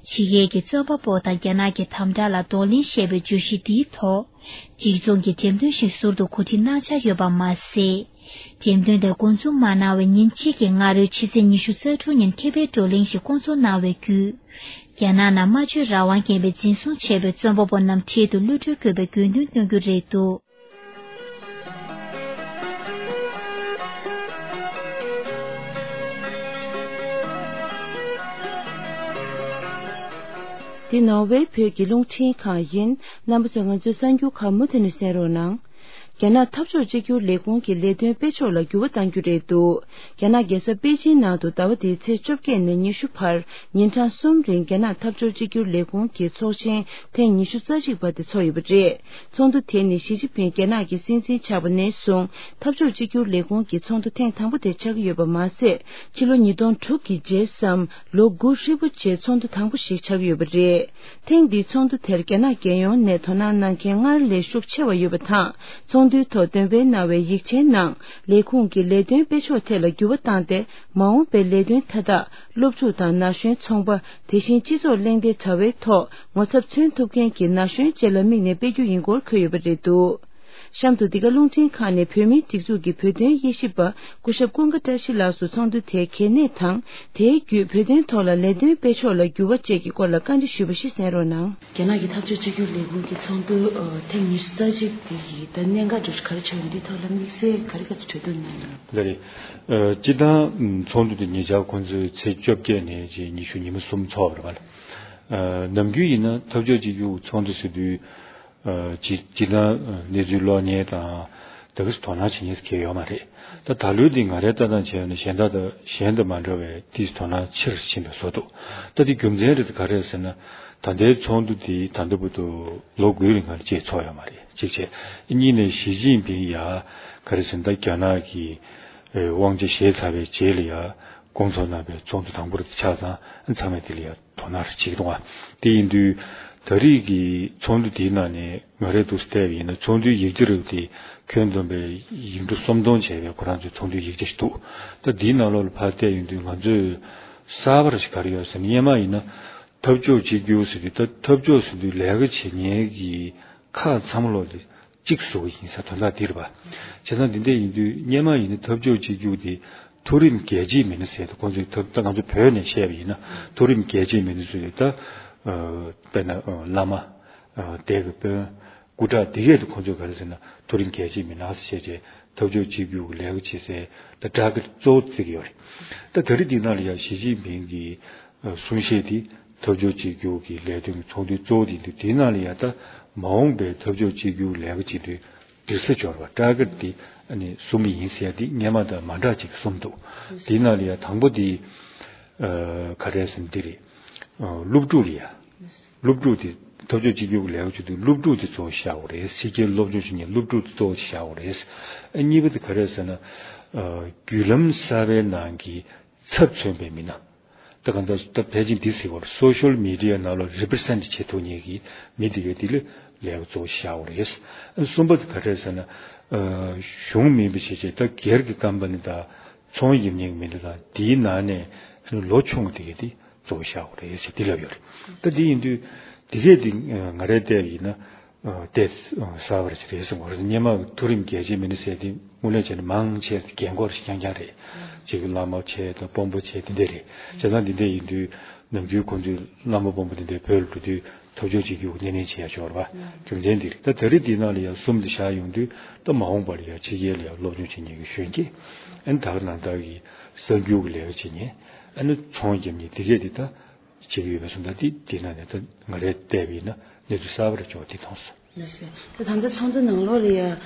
ཕྱི་རྒྱལ་གྱི་རྩོམ་པ་པོ་དང་རྒྱ་ནག་གི་དམ་དྲག་ལ་གདོང་ལེན་ཞེས་པའི་བརྗོད་གཞི་འདིའི་ཐོག་གཅིག་མཚུངས་ཀྱི་འགྲེམས་སྟོན་ཞིག་ཟུར་དུ་གོ་སྒྲིག་གནང་འཆར་ཡོད་པ་མ་ཟད། འགྲེམས་སྟོན་དེར་འགོ་འཛུགས་མ་གནང་བའི་ཉིན་གཅིག་གི་སྔ་རོལ་ཕྱི་ཚེས་ཉི་ཤུ་རྩ་དྲུག་ཉིན་ཁེ་ཕན་བགྲོ་གླེང་ཞིག་བསྐོང་ཚོགས་གནང་བའི་བརྒྱུད། རྒྱ་ནག་ནང་སྨྲ་བརྗོད་རང་དབང་རྐྱེན་པས་འཛིན་བཟུང་བྱས་པའི་རྩོམ་པ་པོ་རྣམས་འཕྲལ་དུ་གློད་གྲོལ་དགོས་པའི་དགོས་འདུན་བཏོན་རྒྱུ་རེད་འདུག། འདི་ནོར་ཝེ་བོད་ཀྱི་རླུང་འཕྲིན་ཁང་ཡིན། རྣམ་པ་ཚོས་ང་ཚོའི་གསར་འགྱུར་ཁག་མུ་མཐུད་ནས་གསན་རོགས་གནང་། རྒྱ་ནག་འཐབ་ཕྱོགས་གཅིག་གྱུར་ལས་ཁུངས་ཀྱི་ལས་དོན་སྤེལ་ཕྱོགས་ལ་འགྱུར་བ་གཏང་རྒྱུ་རེད་འདུག། རྒྱ་ནག་རྒྱལ་ས་པེ་ཅིན་ནང་དུ་ཟླ་བ་འདིའི་ཚེས་བཅོ་བརྒྱད་ནས་ཉི་ཤུ་བར་ཉིན་གྲངས་གསུམ་རིང་རྒྱ་ནག་འཐབ་ཕྱོགས་གཅིག་གྱུར་ལས་ཁུངས་ཀྱི་ཚོགས་ཆེན་ཐེངས་ཉི་ཤུ་རྩ་གཅིག་པ་དེ་ཚོགས་ཡོད་པ་རེད། ཚོགས་འདུ་དེ་ནི་ཞི་ཅིན་ཕིང་རྒྱ་ནག་གི་སྲིད་འཛིན་ཆགས་པ་ནས་བཟུང་འཐབ་ཕྱོགས་གཅིག་གྱུར་ལས་ཁུངས་ཀྱི་ཚོགས་འདུ་ཐེངས་དང་པོ་དེ་ཆགས་ཀྱི་ཡོད་པ་མ་ཟད། ཕྱི་ལོ་ཉིས་སྟོང་དྲུག་གི་རྗེས་སམ་ལོ་དགུ་ཧྲིལ་པོ་རྗེས་ཚོགས་འདུ་དང་པོ་ཞིག་ཆགས་ཀྱི་ཡོད་པ་རེད། ཐེངས་འདིའི་ཚོགས་འདུ་དེར་རྒྱ་ནག་རྒྱལ་ཡོངས་ནས་དོ་སྣང་གནང་མཁན་སྔར་ལས་ཤུགས་ཆེ་བ་ཡོད་པ་དང་། ཚོགས་འདུའི་ཐོག་འདོན་སྤེལ་གནང་བའི་ཡིག་ཆའི་ནང་ལས་ཁུངས་ཀྱི་ལས་དོན་སྤེལ་ཕྱོགས་ཐད་ལ་འགྱུར་བ་བཏང་སྟེ། མ་འོངས་པའི་ལས་དོན་མཐའ་དག་སློབ་ཕྲུག་དང་ན་གཞོན་ཚོང་པ། དེ་བཞིན་སྤྱི་ཚོགས་གླེང་སྟེགས་དྲ་བའི་ཐོག་ངོ་ཚབ་མཚོན་ཐུབ་མཁན་གྱི་ན་གཞོན་བཅས་ལ་དམིགས་ནས་སྤེལ་རྒྱུ་ཡིན་སྐོར་འཁོད་ཡོད་པ་རེད་འདུག། གཤམ་དུ་འདི་ག་རླུང་འཕྲིན་ཁང་ནས་བོད་མིའི་སྒྲིག་འཛུགས་ཀྱི་བོད་དོན་དབྱེ་ཞིབ་པ་སྐུ་ཞབས་ཀུན་དགའ་བཀྲ་ཤིས་ལགས་སུ་ཚོགས་འདུ་དེའི་གལ་གནད་དང་། དེའི་བརྒྱུད་བོད་དོན་ཐོག་ལ་ལས་དོན་སྤེལ་ཕྱོགས་ལ་འགྱུར་བ་བཅས་ཀྱི་སྐོར་ལ་བཀའ་འདྲི་ཞུས་པ་ཞིག་གསན་རོགས་གནང་། རྒྱ་ནག་གི་འཐབ་ཕྱོགས་གཅིག་གྱུར་ལས་ཁུངས་ཀྱི་ཚོགས་འདུ་ཨ་ཐེངས་ཉི་ཤུ་རྩ་གཅིག་དེ་ཡི་ད་གནད་འགག་འདྲ་ཞིག་ག་རེ་ཆགས་ཡོད་འདིའི་ཐོག་ལ་དམིགས་བསལ་ག་རེ་ག་རེ་གྲོས་བསྡུར་གནང་ཡོད། ལགས་རེད། ཨ་སྤྱིར་བཏང་ཚོགས་འདུ་དེ་ཉེ་ཆར་ཁོང་ཚོས་ཚེས་བཅོ་བརྒྱད་ནས་ཉི་ཤུ་ཉི་མ་གསུམ་ཚོགས་པ་རེད་པ། ཨ་ནམ་རྒྱུན་ཡིན་ན་འཐབ་ཕྱོགས་གཅིག་གྱུར་ཚོགས་འདུ་ཟེར་དུས། ཨ་སྤྱི་སྤྱིར་བཏང་གནས་ཚུལ་ཀློག་མཁན་དང་དེ་ག་ཚོ་དོ་སྣང་བྱེད་མཁན་ཞིག་གང་ཡང་ཡོད་མ་རེད། ད་ད་ལོའི་འདི་ང་རའི་ལྟ་སྟངས་བྱས་ན་གཞན་དག་དང་གཞན་དང་མ་འདྲ་བའི་ཏོག་ཙམ་དོ་སྣང་ཆེ་རུ་ཕྱིན་པའི་བཟོ་འདུག། ད་འདི་རྒྱུ་མཚན་རེད་ག་རེ་ཟེར་ན། ད་ལྟའི་ཚོགས་འདུ་འདི་ད་ལྟ་བར་དུ་ལོ་དགུའི་རིང་ལ་བཅས་ཚོགས་ཡོད་མ་རེད། གཅིག་བྱས། གཉིས་ནས་ཞི་ཅིན་ཕིང་ཡ་ག་རེ་ཟེར་ན། ད་རྒྱ་ནག་གི་དབང་ཆ་བཞེས་ཚར་བའི་རྗེས་ལ་ཡ་བསྐོང་ཚོགས་གནང་བའི་ཚོགས་འདུ་དང་པོ་རེད། ཆ་ཚང་ཚང་མས་དེ་ལ་ཡ་དོ་སྣང་རེ་བྱེད་ཀྱི་འདུག་ཨ། དེ་ཡིན་དུས་ད་རེས་ཀྱི་ཚོགས་འདུ་དེའི་ནང་ནས་ང་རས་འདུག་སེ་བལྟས་པ་ཡིན་ན། ཚོགས་འདུའི་ཡིག་ཆ་རེད་དེ་ཁྱོན་བསྡོམས་པའི་ཡིག་འབྲུ་སུམ་སྟོང་བྱས་པའི་ཁོ་རང་ཚོའི་ཚོགས་འདུའི་ཡིག་ཆ་ཞིག་འདུག། ད་དེའི་ནང་ལོགས་ལ་ཕར་བལྟས་ཡོང་དུས་ང་ཚོས་གསར་པ་རེ་ཞིག་ག་རེ་ཡོད་ཟེར་ན། སྔོན་མ་ཡིན་ན་འཐབ་ཕྱོགས་གཅིག་གྱུར་ཟེར་དུས། ད་འཐབ་ཕྱོགས་ཟེར་དུས་ལས་ཀ་བྱེད་མཁན་གྱི་ཁག་ཚང་མ་ལོག་དེ་གཅིག་བཟོ་གི་ཡིན་ཟེར་དོན་དག་འདི་རེད་པ། བྱས་ཙང་འདི་འདྲ་ཡིན་དུས་སྔོན་མ་ཡིན་ན་འཐབ་ཕྱོགས་གཅིག་གྱུར་དེ་མཐོ་རིམ་རྒྱལ་གཅེས་མི་སྣ་ཟེར་དུས། ཁོང་ཚོས་ད་ད་ང་ཚོ་བོད་ནས་བཤད་པ་ཡིན་ན་མཐོ་རིམ་རྒྱལ་གཅེས་མི་སྣ་ཚོས་ད་ཨ་དཔེར་ན་ཨ་བླ་མ། ཨ་སྡེ་དགེ་དཔོན། སྐུ་དྲག་དེ་གས་དེ་ཁོང་ཚོས་ག་རེ་ཟེར་ན། མཐོ་རིམ་རྒྱལ་གཅེས་མི་སྣ་ཟེར་བྱས་འཐབ་ཕྱོགས་གཅིག་གྱུར་གྱི་ལས་ཀ་བྱེད་སའི་ད་ཊར་གེཊ་གཙོ་བོ་བརྩི་གི་ཡོད་རེད། ད་ད་རེས་འདི་ནང་ལ་ཡང་ཞི་ཅིན་ཕིང་གི་ཨ་གསུང་བཤད་དེ་འཐབ་ཕྱོགས་གཅིག་གྱུར་གྱི་ལས་དོན་གྱི་ཚོགས་འདུའི་གཙོ་བོ་དེ་ཡིན་དུས། དེའི་ནང་ལ་ཡང་ད་མ་འོངས་པའི་འཐབ་ཕྱོགས་གཅིག་གྱུར་ལས་ཀ་བྱེད་དུས་སྡིགས་ས་སྦྱོར་བ། ཊར་གེཊ་དེ་ཨ་ནི་གསུམ་ཡིན་ཟེར་ཡ་དེ་སྔོན་མ་དང་མ་འདྲ་ཅིག་གསུངས་འདུག། དེའི་ནང་ལ་ཡང་དང་པོ་དེ་ཨ་ག་རེ་ཟེར་ན་འདི་རེད། ཨ་སློབ་ཕྲུག་ལ་ཡ། སློབ་ཕྲུག་དེ་ འཐབ་ཕྱོགས་གཅིག་གྱུར་གྱི་ལས་ཀ་བྱེད་དུས་སློབ་ཕྲུག་དེ་གཙོ་བོ་བཞག་དགོས་རེད། ཕྱི་རྒྱལ་སློབ་སྦྱོང་བྱེད་མཁན་སློབ་ཕྲུག་དེ་གཙོ་བོ་བཞག་དགོས་རེད། ཨ་གཉིས་པ་དེ་ག་རེ་རེད་ཟེར་ན། ཨ་བརྒྱུད་ལམ་གསར་པའི་ནང་གི་ཚབ་མཚོན་པའི་མི་སྣ། ད་གང་ལྟར་ད་ཕལ་ཆེར་འདི་ཟེར་བར་སོ་ཤལ་མི་ཌི་ཡ་ནང་ལ་རི་པི་རི་སེན་ཊི་བྱེད་ཐུབ་མཁན་གྱི་མི་དེ་གའི་དེ་ལ་ལས་ཀ་གཙོ་བོ་བཞག་དགོས་རེད། ཨ་གསུམ་པ་དེ་ག་རེ་རེད་ཟེར་ན། ཨ་གཞུང་མིན་པ་བྱས་བྱས་ད་སྒེར་གྱི་ཀམ་པ་ནི་དང་ཚོང་བརྒྱབ་མཁན་གྱི་མི་སྣ་དང་དེའི་ནང་ནས་ལོ་ཆུང་བ་དེ་གའི་དེ་གཙོ་བོ་བཞག་དགོས་རེད་ཟེར་འདི་ལབ་ཡོད་རེད། ད་འདི་ཡིན་དུས་དེ་གས་དེ་ང་རས་བལྟས་པ་ཡིན་ན་བལྟས་གསལ་བ་རེད་ཟེར་གསུང་བ་རེད། སྔོན་མ་མཐོ་རིམ་རྒྱལ་སྤྱིའི་མི་སྣ་ཟེར་དེ་དངོས་གནས་བྱས་ན་མང་ཆེ་རྒན་འཁོགས་རེད་རྐྱང་རྐྱང་རེད། གཅིག་གི་བླ་མ་བྱས་དང་དཔོན་པོ་བྱས་དེ་འདྲས་རེད། བྱས་ཙང་འདི་འདྲས་ཡིན་དུས་ནམ་རྒྱུན་ཁོང་ཚོའི་བླ་མ་དཔོན་པོ་དེ་འདྲས་བོད་ལ་འགྲོ་དུས་འཐབ་ཕྱོགས་གཅིག་གྱུར་སྣེ་ལེན་བྱེད་ཡ་ཡོད་རེད་པ། རྒྱུ་མཚན་འདི་རེད། ད་ད་རེས་འདི་ནང་ལ་ཡང་གསུམ་དེ་བཞག་ཡོང་དུས་ད་མ་འོངས་པ་ལ་ཡང་ཕྱི་རྒྱལ་ལ་ཡང་སློབ་སྦྱོང་བྱེད་མཁན་གྱི་གཞོན་སྐྱེས། ཨ་ནི་ད་ག་ནང་ལྟར་གྱི་གསར་འགྱུར་གྱི་ལས་ཀ་བྱེད་མཁན། ཨ་ནི་ཚོང་རྒྱབ་མཁན་དེ་གས་དེ་ད་བྱེད་ཀྱི་ཡོད་པའི་སོང་ཙང་དེ་དེ་ནང་ནས་ད་ང་རས་བལྟས་པ་ཡིན་ན་གནས་ཚུལ་གསར་པ་རེ་ཅོག་དེ་མཐོང་སོང་། ལགས་སོ། ད་ད་ལྟ་ཚོགས་འདུ་ནང་ལོགས་ལ་ཡ་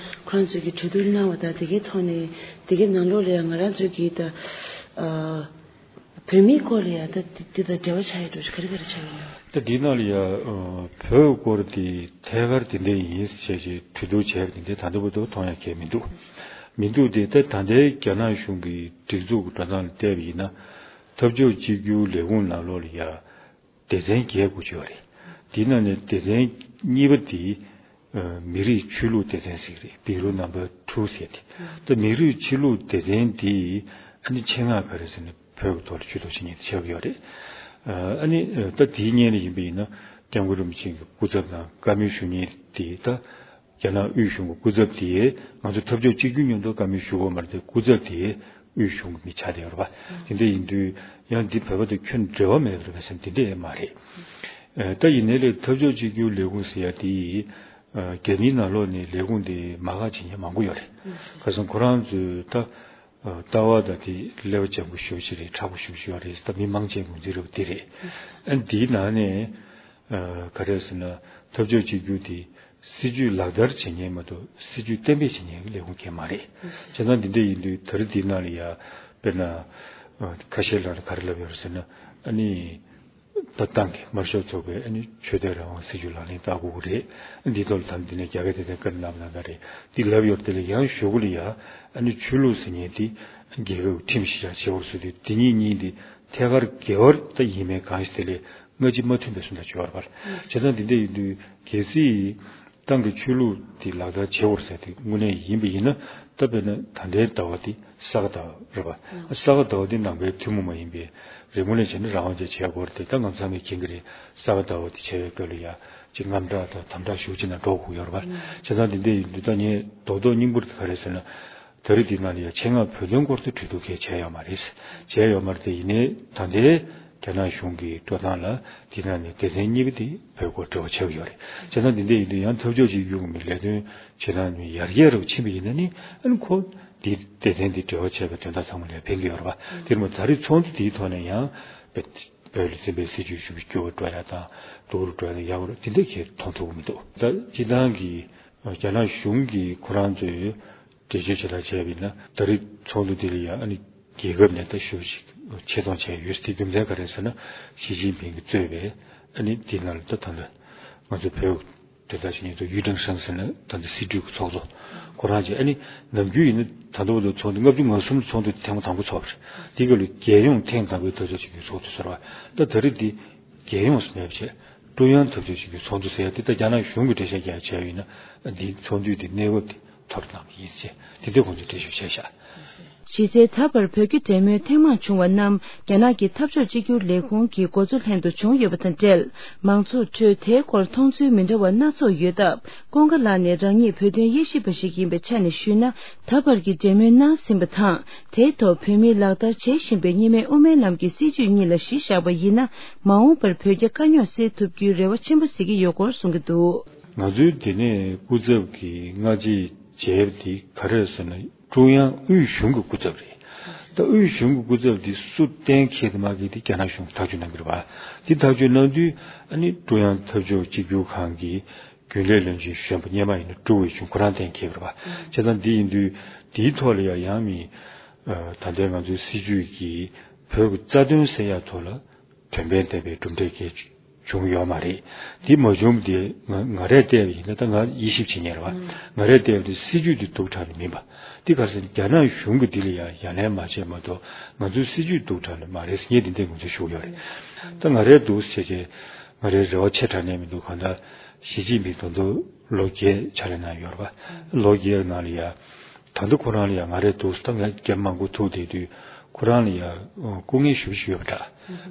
ཁོ་རང་ཚོས་ཀྱི་གྲོས་བསྡུར་གནང་བ་དང་དེ་གའི་ཐོག་ནས་དེ་གའི་ནང་ལོགས་ལ་ཡ་ང་རང་ཚོས་ཀྱི་ད་ཨ་བོད་མིའི་སྐོར་ལ་ཡ་ད་དེ་དེ་དང་འབྲེལ་བ་ཆགས་ཡ་འགྲོ་ཆུ་ག་རེ་ག་རེ་ཆགས་ཡོད། ད་འདི་ནང་ལ་ཡ་ཨ་བོད་སྐོར་དེ་ཐད་ཀར་དེ་འདྲ་ཡིན་ཞེས་ཀྱི་གྲོས་བསྡུར་བྱས་པ་དེ་འདྲ་ད་ལྟ་བར་དུ་མཐོང་ཡ་གང་མི་འདུག་མི་འདུག་དེ་ད་ད་ལྟའི་རྒྱ་ནག་གཞུང་གི་སྒྲིག་འཛུགས་ཀྱི་འགྲོ་སྟངས་ལ་བལྟས་པ་ཡིན་ན། འཐབ་ཕྱོགས་གཅིག་གྱུར་ལས་ཁུངས་ནང་ལོགས་ལ་ཡ་སྡེ་ཚན་བརྒྱད་དགུ་ཅིག་ཡོད་རེད། དེའི་ནང་ནས་སྡེ་ཚན་གཉིས་པ་དེ་ཨ་མི་རིགས་ཆོས་ལུགས་སྡེ་ཚན་ཟེར་གྱི་རེད། བྷི་རུ་ནམ་བར་ཊུ་ཟེར་ཏེ། ད་མི་རིགས་ཆོས་ལུགས་སྡེ་ཚན་དེ་ཨ་ནི་ཆེད་མངགས་ག་རེ་ཟེར་ན་བོད་ཀྱི་ཐོག་ལ་ཇུས་གཏོགས་བྱེད་མཁན་དེ་ཆགས་ཀྱི་ཡོད་རེད། ཨ་ནི་ད་དེའི་སྔོན་ལ་ཡིན་པ་ཡིན་ན་སྐྱབས་མགོན་རིན་པོ་ཆེ་གི་སྐུ་ཚབ་དང་བཀའ་མོལ་ཞུ་མཁན་དེ་ད། རྒྱ་ནག་དབུས་གཞུང་གི་སྐུ་ཚབ་དེས་ང་ཚོ་འཐབ་ཕྱོགས་གཅིག་གྱུར་མཉམ་དུ་བཀའ་མོལ་ཞུ་དགོས་མ་རེད་དེ། སྐུ་ཚབ་དེས་དབུས་གཞུང་གི་མི་ཆགས་བསྡད་ཡོད་རེད་པ། དེ་འདྲ་ཡིན་དུས་ཡང་འདི་བོད་པ་དང་ཁྱོན་འབྲེལ་བ་མེད་པ་རེད་པས་ཟེར་ན་དེ་འདྲ་ཡང་མ་རེད། ཨ་ད་ཡིན་ནའི་ལས་འཐབ་ཕྱོགས་གཅིག་གྱུར་ལས་ཁུངས་ཟེར་ཡ་དེ་ཨ་རྒྱ་མིའི་ནང་ལོགས་ནས་ལས་ཁུངས་དེ་མ་འགག་བྱེད་མཁན་མང་པོ་ཡོད་རེད། ཁ་སང་ཁོ་རང་ཚོས་ད་ཨ་ལྟ་བ་དང་དེ་ཀླད་པ་འཇམ་པོ་ཞེ་པོ་ཅིག་རེད། མཁྲེགས་པོ་ཞེ་པོ་ཅིག་ཡོད་རེད། ད་མི་མང་ཆེ་ངོས་འཛིན་རེད་པ་དེ་རེད། ཨ་འདིའི་ནང་ནས། ཨ་ག་རེ་ཟེར་ན། འཐབ་ཕྱོགས་གཅིག་གྱུར་དེ་སྲིད་ཇུས་ལག་བསྟར་བྱེད་མཁན་མ་གཏོགས་སྲིད་ཇུས་གཏན་འབེབས་བྱེད་མཁན་གྱི་ལས་ཁུངས་གང་ཡང་མ་རེད། བྱས་ཙང་འདི་འདྲ་ཡིན་དུས་ད་རེས་འདི་ནང་ལ་ཡ་དཔེར་ན་ཨ་ཁ་ཤས་ལ་ག་རེ་ལབ་ཡོད་རེད་ཟེར་ན། ཨ་ནི་ད་ཏང་གི་དམར་ཤོག་ཚོགས་པའི་ཨ་ནི་ཆོས་དད་རང་དབང་སྲིད་ཇུས་ལག་ལེན་བསྟར་དགོས་ཀྱི་རེད། འདིའི་ཐོག་ལ་ད་འདི་ནས་རྒྱ་སྐད་དེ་དང་བཀའ་གནང་བ་ནང་ལྟར་རེད། འདི་ལབ་ཡོད་རེད། དེ་ལ་ཡང་གཞུག་གུ་ལ་ཡ་ཨ་ནི་ཆོས་ལུགས་ཟེར་མཁན་དེ་རྒྱལ་ཁབ་ཀྱི་ཁྲིམས་གཞི་བཞག་བྱེད་དགོས་ཟེར་དུས་དེ་གཉིས་གཉིས་འདི་ཐད་ཀར་འགལ་བ་ད་ཡིན་མིན་གང་ཞིག་དེ་ལས། སྔ་ཕྱི་མ་མཐུན་པའི་སུམ་རྟགས་ཅིག་ཡོད་རེད་པ། བྱས་ཙང་འདི་འདྲ་ཡིན་དུས་གལ་སྲིད་ཏང་གི་ཆོས་ལུགས་དེ་ལག་བསྟར་བྱེད་དགོས་ཟེར་དེ་དངོས་གནས་ཡིན་པ་ཡིན་ན། ད་དཔེར་ན་ད་ལྟའི་ཟླ་བ་འདི་ས་ག་ཟླ་བ་རེད་པ། ས་ག་ཟླ་བ་འདི་ནང་པའི་ཐུན་མོང་མ་ཡིན་པའི་རིག་གནས་ལ་བྱས་ན་རང་དབང་ཅན་བྱེད་དགོས་རེད་དེ། ད་ང་ཚང་མས་མཁྱེན་གྱི་རེད། ས་ག་ཟླ་བ་འདི་བྱས་པའི་སྐབས་ལ་ཡ་ཅིག་དངངས་སྐྲག་དང་དམ་དྲག་ཤུགས་ཆེ་ན་འགྲོ་དགོས་ཡོད་རེད་པ། བྱས་ཙང་འདི་འདྲ་ཡིན་དུས་ད་ངས་རྡོག་རྡོག་སྙིང་པོ་དེ་ག་རེད་ཟེར་ན། ད་རེས་འདི་ནང་ལ་ཡ་ཆེད་མངགས་བོད་དོན་སྐོར་དུ་གྲོས་བསྡུར་གང་ཡང་བྱས་ཡོད་མ་རེད། བྱས་ཡོད་མ་རེད་དེ། ཡིན་ནའི་ད་ལྟའི་རྒྱ་ནག་གཞུང་གི་འགྲོ་སྟངས་ལ་དེ་ནང་ནས་སྡེ་ཚན་གཉིས་པ་དེ་བོད་སྐོར་འབྲེལ་བ་ཆགས་ཀྱི་ཡོད་རེད། བྱས་ཙང་འདི་འདྲ་ཡིན་དུས་ཡང་འཐབ་ཕྱོགས་གཅིག་གྱུར་གྱི་ལས་དོན་བྱེད་སྟངས་ནི་ཡར་རྒྱས་རུ་ཕྱིན་པ་ཡིན་ན་ནི་ཨ་ནི་ཁོ་འདི་སྡེ་ཚན་འདི་འབྲེལ་བ་བྱས་པའི་དོན་དག་ཚང་མ་ལ་ཕན་གྱི་ཡོད་རེད་པ། དེར་མ་ད་རེས་ཚོགས་འདུ་དེའི་ཐོག་ནས་ཡང་བོད་ལ་འཛིན་པའི་སྲིད་ཇུས་ཞུ་བའི་སྐྱོ་བ་འགྲོ་ཡ་དང་སྡུག་རུ་འགྲོ་ཡ་དང་ཡག་རུ་དེ་འདྲ་གས་མཐོང་ཐུབ་ཀྱི་མི་འདུག་ད་སྤྱི་བཏང་གི་རྒྱ་ནག་གཞུང་གིས་ཁོ་རང་ཚོའི་འགྲེལ་བརྗོད་བྱེད་སྟངས་བྱས་པ་ཡིན་ན། ད་རེས་ཚོགས་འདུ་འདི་ལ་ཡང་ཨ་ནི་རྒྱལ་ཁབ་ནས་ད་ཞུ་ཞིག་ཆེད་གཏོང་བྱས་ཡོད། དེ་རྒྱུ་མཚན་ག་རེ་ཟེར་ན། ཞི་ཅིན་ཕིང་གིས་གཙོས་པའི་ཨ་ནི་དེ་ནང་ལ་ད་ད་ལྟ་ང་ཚོ་བོད་དོན་དག་ཞུ་མཁན་ཚོ་ཡུས་ཀྲེང་ཧྲེང་ཟེར་ན་ད་ལྟ་སྲིད་གྲོས་ཀྱི་ཚོགས་གཙོ་ཁོ་རང་བྱས། ཨ་ནི་ནམ་རྒྱུན་ཡིན་ན་ད་ལྟ་བར་དུ་ཚོགས་འདུ་ལྔ་བཅུ་ང་གསུམ་ཚོགས་འདུ་ཐེངས་མ་དང་པོ་ཚོགས་པ་རེད། དེ་ག་ལ་རྒྱལ་ཡོངས་ཐེངས་དང་པོའི་འཐབ་ཕྱོགས་གཅིག་གྱུར་ཚོགས་འདུ་ཟེར་བ། ད་ད་རེས་འདི་རྒྱལ་ཡོངས་སུ་མེད་པ་བྱས། ཀྲུང་དབྱང་འཐབ་ཕྱོགས་གཅིག་གྱུར་ཚོགས་འདུ་ཟེར་ཡ་དེ་ད་རྒྱ་ནག་གཞུང་གིས་འགྲེལ་བཤད་རྒྱག་བྱས་ཡིན་ན། འདི་ཚོགས་འདུའི་དེ་གནས་བབ་དེ་ཐོར་བཏང་གི་ཡིན་ཟེར་དེ་འདྲའི་ཁོང་ཚོས་འགྲེལ་བཤད་བྱས་ཤག་གཞི་རྩའི་ད་བར་བོད་ཀྱི་འབྲེལ་མོལ་ཐེངས་མང་བྱུང་བ་རྣམས་རྒྱ་ནག་གི་འཐབ་ཕྱོགས་གཅིག་གྱུར་ལས་ཁུངས་ཀྱི་འགོ་གཙོ་ལྷན་དུ་བྱུང་ཡོད་པ་དང་འབྲེལ། མང་ཚོགས་ཁྲོད་དེའི་སྐོར་མཐོང་ཚུལ་མི་འདྲ་བ་སྣ་ཚོགས་ཡོད་སྟབས། ཀུན་དགའ་ལགས་ནས་རང་ཉིད་བོད་དོན་དབྱེ་ཞིབ་པ་ཞིག་ཡིན་པའི་ཆ་ནས་ཞུས་ན། ད་བར་གྱི་འབྲེལ་མོལ་གནང་ཟིན་པ་དང་། དེའི་ཐོག་བོད་མིས་ལག་བསྟར་བྱེད་བཞིན་པའི་གཉིས་སྨན་དབུ་མའི་ལམ་གྱི་སྲིད་བྱུས་གཉིས་ལ་གཞི་བཞག་པ་ཡིན་ན། མ་འོངས་པར་བོད་རྒྱ་དཀའ་རྙོག་སེལ་ཐུབ་རྒྱུའི་རེ་བ་ཆེན་པོ་གཟིགས་ཀྱི་ཡོད་སྐོར་གསུང་གི་འདུག་ང་ཚོའི་དེ་ནས་སྐུ་ཚབ་ཀྱི་སྔ་རྗེས་མཇལ་བ་དེ་ག་རེ་རེད་ཟེར་ན། ཀྲུང་དབྱང་དབུས་གཞུང་གི་སྐུ་ཚབ་རེད། ད་དབུས་གཞུང་གི་སྐུ་ཚབ་དེ་སུ་གཏན་འཁེལ་དང་མ་འཁེལ་དེ་རྒྱ་ནག་གཞུང་གིས་ཐག་གཅོད་གནང་གི་རེད་པ། དེ་ཐག་གཅོད་གནང་དུས་ཨ་ནི་ཀྲུང་དབྱང་འཐབ་ཕྱོགས་གཅིག་གྱུར་ཁང་གི་རྒྱུན་ལས་བློན་ཆེན་གཞོན་པ་སྔོན་མ་ཡིན་ན་ཀྲུའུ་ཝེ་ཆུན་ཁོ་རང་གཏན་འཁེལ་གི་རེད་པ། བྱས་ཙང་འདི་ཡིན་དུས་དེའི་ཐོག་ལ་ཡང་ཡང་མི་ཨ་ད་ལྟའི་ང་ཚོའི་སྲིད་བྱུས་ཀྱི་བོད་ཀྱི་རྩ་དོན་སེལ་ཡག་ཐོག་ལ་དོན་ཕན་ལྡན་པའི་གྲུབ་འབྲས་སྐྱེལ། བྱུང་ཡོད་མ་རེད། དེ་མ་བྱུང་དེ་ང་ང་རས་བལྟས་པ་ཡིན་ན། ད་ང་དབྱེ་ཞིབ་བྱེད་མཁན་རེད་བ། ང་རས་བལྟས་པ་དེ་སྲིད་ཇུས་དེ་སྡུག་དྲགས་ནི་མིན་པ། དེ་ག་རེ་ཟེར་ན་རྒྱ་ནག་གཞུང་གིས་དེ་ལ་ཡ་ཡ་ལན་མ་བྱས་མ་གཏོགས། ང་ཚོའི་སྲིད་ཇུས་སྡུག་དྲགས་ནི་མ་རེད་ཟེར་ངས་དེ་འདྲའི་ངོས་འཛིན་ཞུ་གི་ཡོད་རེད། ད་ང་རས་འདུག་ཟེར་གྱི་ང་རའི་རེ་བ་ཆེ་དྲགས་ནས་མི་འདུག་གང་ལྟར་ཞི་ཅིན་ཕིང་ད་དུང་ལོ་བརྒྱད་ཕྱག་ལས་གནང་ཡོད་རེད་བ། ལོ་བརྒྱད་ནང་ལ་ཡ། ད་དུང་ཁོ་རང་ལ་ཡ་ང་རས་འདུག་ད་ངས་རྒྱབ་མང་པོ་ཐུག་བསྡད་དུས་ཁོ་རང་ལ་ཡ་སྐུ་ངལ་ཞེ་པོ་ཅིག་ཡོད་པ་འདྲ།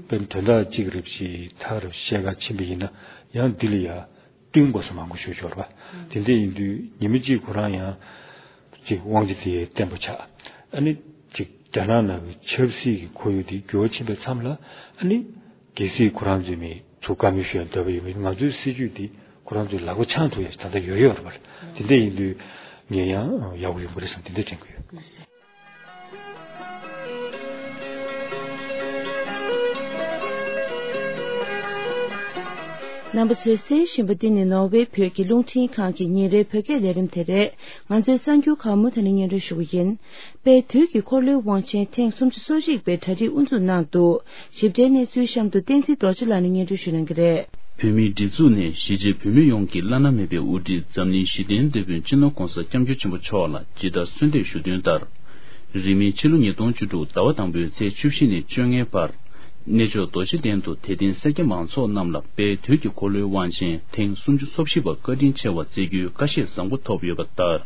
དཔེར་ན་དོན་དག་གཅིག་རེ་བཞིན་ཐག་རེ་བཤད་ག་ཕྱིན་པ་ཡིན་ན་ཡང་འདི་ལ་ཡ་བསྟུན་དགོས་ས་མང་པོ་ཞིག་ཡོད་རེད་བ། དེ་འདྲ་ཡིན་དུས་ཉི་མ་གཅིག་ཁོ་རང་ཡང་ཅིག་དབང་ཆ་དེ་བརྟན་པོ་ཆགས། ཨ་ནི་ཅིག་རྒྱ་ནག་ནང་གི་ཆབ་སྲིད་ཀྱི་ཁོར་ཡུག་དེ་འགྱུར་བ་ཕྱིན་པའི་མཚམས་ལ། ཨ་ནི་གལ་སྲིད་ཁོ་རང་ཚོས་མི་ཚུར་བཀའ་མོལ་ཞུ་ཡ་འདོད་པ་ཡོད་པ་ཡིན་ན། ང་ཚོའི་སྲིད་ཇུས་དེ་ཁོ་རང་ཚོའི་ལག་པ་འཆང་ཐུབ་ཡ་ཞིག་ད་ལྟ་ཡོད་ཡོད་རེད་བ། དེ་འདྲ་ཡིན་དུས་ངས་ཡང་ཡག་པོ་ཡོང་གི་རེད་བསམ། དེ་འདྲ་དྲན་གྱི་ཡོད། རྣམ་པ་ཚོས་གསན་བཞིན་པ་འདི་ནི་ནོར་ཝེ་བོད་ཀྱི་རླུང་འཕྲིན་ཁང་གི་ཉིན་རེའི་བོད་སྐད་ལས་རིམ་དེ་རེད། ང་ཚོའི་གསར་འགྱུར་ཁག་མུ་མཐུད་ནས་སྙན་སྒྲོན་ཞུ་གི་ཡིན། དཔལ་དུས་ཀྱི་འཁོར་ལོའི་དབང་ཆེན་ཐེངས་སུམ་ཅུ་སོ་གཅིག་པའི་གྲ་སྒྲིག་དབུ་འཛུགས་གནང་འདུག་ཞིབ་ཕྲའི་གནས་ཚུལ་གཤམ་དུ་བསྟན་འཛིན་རྡོ་རྗེ་ལགས་ནས་སྙན་སྒྲོན་ཞུ་གནང་གི་རེད། བོད་མིའི་སྒྲིག་འཛུགས་ནས་གཞིས་བྱེས་བོད་མི་ཡོངས་ཀྱི་བླ་ན་མེད་པའི་དབུ་ཁྲིད་འཛམ་གླིང་ཞི་བདེའི་དེད་དཔོན་སྤྱི་ནོར་༸གོང་ས་༸སྐྱབས་མགོན་ཆེན་པོ་མཆོག་ལ་ཇི་ལྟར་གསོལ་འདེབས་ཞུ་དོན་ལྟར། རིང་མིན་ཕྱི་ལོ་ཉིས་སྟོང་བཅུ་དྲུག་ཟླ་བ་དང་པོའི་ཚེས་བཅུ་བཞི་ནས་བཅོ་ལྔའི་བར། གནས་མཆོག་རྡོ་རྗེ་གདན་དུ་དད་ལྡན་སེར་སྐྱ་མང་ཚོགས་རྣམས་ལ་དཔལ་དུས་ཀྱི་འཁོར་ལོའི་དབང་ཆེན་ཐེངས་སུམ་ཅུ་སོ་བཞི་པ་བཀའ་དྲིན་ཆེ་བ་བསྩལ་རྒྱུའི་བཀའ་བཞེས་བཟང་པོ་ཐོབ་ཡོད་པ་ལྟར།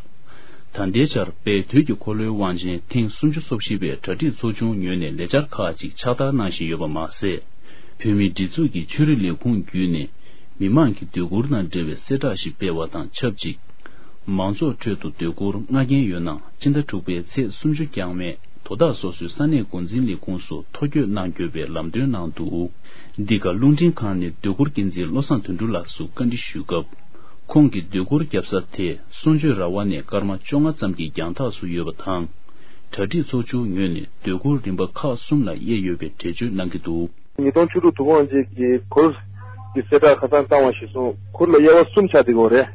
ད་ལྟའི་ཆར་དཔལ་དུས་ཀྱི་འཁོར་ལོའི་དབང་ཆེན་ཐེངས་སུམ་ཅུ་སོ་བཞི་པའི་གྲ་སྒྲིག་ཚོགས་ཆུང་ངོས་ནས་ལས་འཆར་ཁག་ཅིག་ཕྱག་བསྟར་གནང་བཞིན་ཡོད་པ་མ་ཟད། བོད་མིའི་སྒྲིག་འཛུགས་ཀྱི་ཆོས་རིག་ལས་ཁུངས་བརྒྱུད་ནས་མི་མང་གི་སྡོད་གུར་དང་འབྲེལ་བའི་གསལ་བསྒྲགས་ཤིག་སྤེལ་བ་དང་ཆབས་ཅིག་མང་ཚོགས་ཁྲོད་དུ་སྡོད་གུར་མངགས་མཁན་ཡོད་ན་སྤྱི་ཟླ་དྲུག་པའི་ཚེས་སུམ་ཅུ་འགྱངས་མེད་དོ་བདག་སོ་སོའི་ས་གནས་འགོ་འཛིན་ལས་ཁུངས་སུ་ཐོ་འགོད་གནང་དགོས་པའི་ལམ་སྟོན་གནང་འདུག་འདི་ག་རླུང་འཕྲིན་ཁང་ནས་སྡོད་གུར་འགན་འཛིན་བློ་བཟང་དོན་གྲུབ་ལགས་སུ་བཀའ་འདྲི་ཞུས་སྐབས། ཁོང་གིས་སྡོད་གུར་བརྒྱབ་ས་དེ་གསུང་ཆོས་ར་བ་ནས་སྐར་མ་བཅོ་ལྔ་ཙམ་གྱི་རྒྱང་ཐག་སུ་ཡོད་པ་དང་། གྲ་སྒྲིག་ཚོགས་ཆུང་ངོས་ནས་སྡོད་གུར་རིམ་པ་ཁག་གསུམ་ལ་དབྱེ་ཡོད་པའི་འགྲེལ་བརྗོད་གནང་གི་འདུག་ཉིས་སྟོང་བཅུ་དྲུག་དུས་དགོང་རྗེས་ཀྱི་གུར་གྱི་གསལ་བསྒྲགས་ཁ་སང་བཏང་བ་གཞིར་བཟུང་གུར་ལ་དབྱེ་བ་གསུམ་ཆགས་བསྡད་ཡོད་རེད།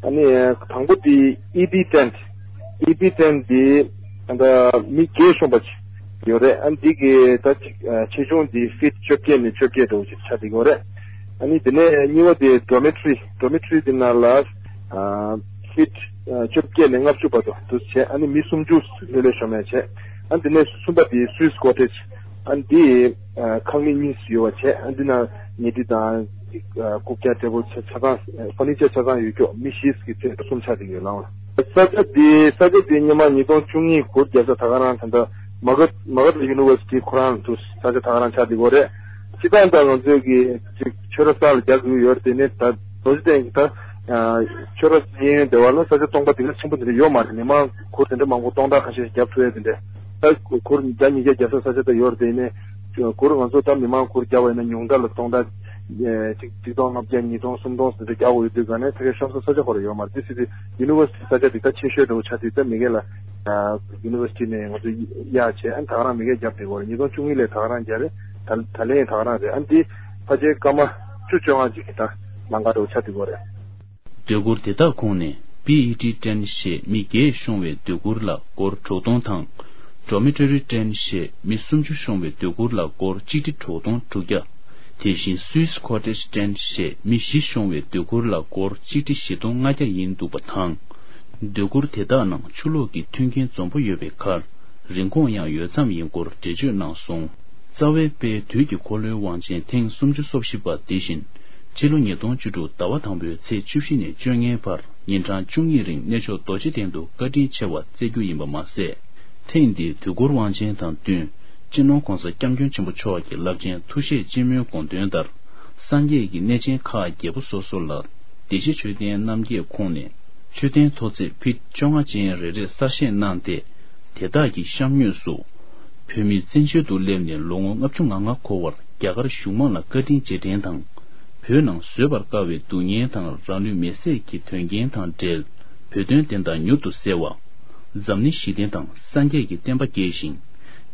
ཨ་ནི་དང་པོ་དེ་ཨི་པི་ཊེན་ཊི། ཨི་པི་ཊེན་ཊི་དེ་ད་ལྟ་མི་བརྒྱད་ཤོང་པ་ཅིག་ཡོད་རེད། ཨ་ནི་འདི་གི་ད་ཅིག་ཆེ་ཆུང་དེ་ཕིཊ་བཅོ་བརྒྱད་ནས་བཅོ་བརྒྱད་འདྲ་བོ་ཅིག་ཆགས་བསྡད་ཡོད་རེད། ཨ་ནི་དེ་ནས་གཉིས་པ་དེ་ཌོ་མེ་ཊོ་རི། ཌོ་མེ་ཊོ་རི་དེ་ནང་ལ་ཕིཊ་བཅོ་བརྒྱད་ནས་ལྔ་བཅུ་བར་དུ་འདུ་བྱས། ཨ་ནི་མི་སུམ་ཅུ་ལྷོད་ལྷོད་ཤོང་མཁན་བྱས། ཨ་ནི་དེ་ནས་གསུམ་པ་དེ་སུའིས་ཀོ་ཊེཇ། ཨ་ནི་དེ་ཁང་མིག་གཉིས་ཡོད་པ་བྱས། ཨ་ནི་དེ་ནང་ཉལ་ཁྲི་དང་རྐུབ་བཀྱག་འདྲ་བོ་ཆ་ཆ་ཚང་ཕར་ནི་ཅར་ཆ་ཚང་ཡོད་ཀྱོག་མི་བཞི་གི་ཚད་གསུམ་ཆགས་བསྡད་ཡོད་ལགས། ས་ཆ་དེ་ས་ཆ་དེ་སྔོན་མ་ཉིས་སྟོང་བཅུ་གཉིས་གུར་རྒྱབ་ས་ད་ག་རང་ད་ལྟ་མ་ག་མ་ག་ཐ་ཡུ་ནི་ཝར་སི་ཊི་ཁོ་རང་དུ་ས་ཆ་ད་ག་རང་ཆགས་བསྡད་ཡོད་རེད། སྤྱིར་བཏང་ད་ང་ཚོའི་གི་ཅིག་ཆོས་ར་ས་ལ་རྒྱག་དགོས་ཡོད་རེད། དེ་ནས་ད་རྡོ་རྗེ་གདན་གྱི་ད་ཆོས་ར་གཡས་གཡོན་སྡེ་བ་ལ་ས་ཆ་སྟོང་པ་དེ་ག་ཆེན་པོ་དེ་འདྲ་ཡོད་མ་རེད། མི་མང་གུར་དེ་འདྲ་མང་པོ་སྟོང་ཕྲག་ཁ་ཤས་ཤིག་རྒྱབ་ཐུབ་ཡ་དེ་འདྲ། ད་གུར་བརྒྱ་ཉིས་བརྒྱ་རྒྱབ་ས་ས་ཆ་ད་ཡོད་རེད། དེ་ནས་གུར་ང་ཚོ་ད་མི་མང་གུར་རྒྱབ་པ་ཡིན་ན་ཉུང་མཐའ་ལ་སྟོང་ཕྲག་ཅིག་ཆིག་སྟོང་ལྔ་བརྒྱ་ཉིས་སྟོང་སུམ་སྟོང་ཟེར་འདྲ་རྒྱག་དགོས་ཡོད་དུས་ག་ནས་ད་གའི་ཤོང་ས་ས་ཆ་ཁོ་ར་ཡོད་མ་རེད། དེ་སྲིད་དེ་ཡུ་ནི་ཝར་སི་ཊི་ས་ཆ་དེ་ད་ཆེ་ཤོས་འདྲ་བོ་ཆགས་དུས་ད་མི་སྒེར་ལ་ཡུ་ནི་ཝར་སི་ཊི་ནས་ང་ཚོ་གཡར་བྱས། ཨ་ནི་ད་ག་རང་མི་སྒེར་རྒྱབ་བསྡད་ཡོད་རེད། ཉིས་སྟོང་བཅུ་གཉིས་ལས་ད་ག་རང་རྒྱག་རེད། ད་ད་ལན་ད་ག་རང་རེད། ཨ་ནི་དེ་ཕལ་ཆེར་སྐར་མ་བཅུ་བཅོ་ལྔ་ཅིག་གི་ད་ལམ་ཁ་འདྲ་བོ་ཆགས་བསྡད་ཡོད་རེད། སྡོད་གུར་དེ་དག་ཁོངས་ནས་པི་ཨི་ཊི་ཊེན་ཊི་ཞེས་མི་བརྒྱད་ཤོང་བའི་སྡོད་གུར་ལ་སྒོར་དྲུག་སྟོང་དང་། ཌོ་མེ་ཊོ་རི་ཊེན་ཊི་ཞེས་མི་སུམ་ཅུ་ཤོང་བའི་སྡོད་གུར་ལ་སྒོར་གཅིག་ཁྲི་དྲུག་སྟོང་དྲུག་བརྒྱ། དེ་བཞིན་སུའིས་ཀོ་ཊེཇ་ཊེན་ཊི་ཞེས་མི་བཞི་ཤོང་བའི་སྡོད་གུར་ལ་སྒོར་གཅིག་ཁྲི་བཞི་སྟོང་ལྔ་བརྒྱ་ཡིན་འདུག་པ་དང་། སྡོད་གུར་དེ་དག་ནང་ཆུ་ལོག་གི་མཐུན་རྐྱེན་འཛོམས་པོ་ཡོད་པའི་ཁར། རིན་གོང་ཡང་ཡོད་ཙམ་ཡིན་སྐོར་འགྲེལ་བརྗོད་གནང་སོང་། རྩ་བའི་དཔལ་དུས་ཀྱི་འཁོར་ལོའི་དབང་ཆེན་ཐེངས་སུམ་ཅུ་སོ་བཞི་པ་དེ་བཞིན། ཕྱི་ལོ་ཉིས་སྟོང་བཅུ་དྲུག་ཟླ་བ་དང་པོའི་ཚེས་བཅུ་བཞི་ནས་བཅོ་ལྔའི་བར་ཉིན་གྲངས་བཅུ་གཉིས་རིང་གནས་མཆོག་རྡོ་རྗེ་གདན་དུ་བཀའ་དྲིན་ཆེ་བ་བསྩལ་རྒྱུ་ཡིན་པ་མ་ཟད། ཐེངས་འདིའི་དུས་འཁོར་དབང་ཆེན་དང་བསྟུན། སྤྱི་ནོར་༸གོང་ས་༸སྐྱབས་མགོན་ཆེན་པོ་མཆོག་གི་རླབས་ཆེན་ཐུགས་བཞེད་སྤྱི་མོས་དགོངས་དོན་ལྟར། སངས་རྒྱས་ཀྱི་གནས་ཆེན་ཁག་བརྒྱད་པོ་སོ་སོ་ལ། བདེ་གཤེགས་མཆོད་རྟེན་རྣམ་བརྒྱད་ཁོངས་ནས། མཆོད་རྟེན་མཐོ་ཚད་ཕིཊ་བཅོ་ལྔ་ཅན་རེ་རེ་གསར་བཞེངས་གནང་སྟེ། དེ་དག་གི་གཤམ་ངོས་སུ། བོད་མི་བཙན་བྱོལ་དུ་སླེབས་ནས་ལོ་ངོ་ལྔ་བཅུ་ང་ལྔ་འཁོར་བར་རྒྱ་གར་གཞུང་མང་ལ་བཀའ་དྲིན་རྗེས་དྲན་དང་། བོད་ནང་བཟོད་པར་དཀའ་བའི་སྡུག་བསྔལ་དང་རང་ལུས་མེར་སྲེག་གི་དོན་རྐྱེན་དང་འབྲེལ། བོད་དོན་བདེན་མཐའ་མྱུར་དུ་གསལ་བ། འཛམ་གླིང་ཞི་བདེ་དང་སངས་རྒྱས་ཀྱི་བསྟན་པ་རྒྱས་ཤིང་།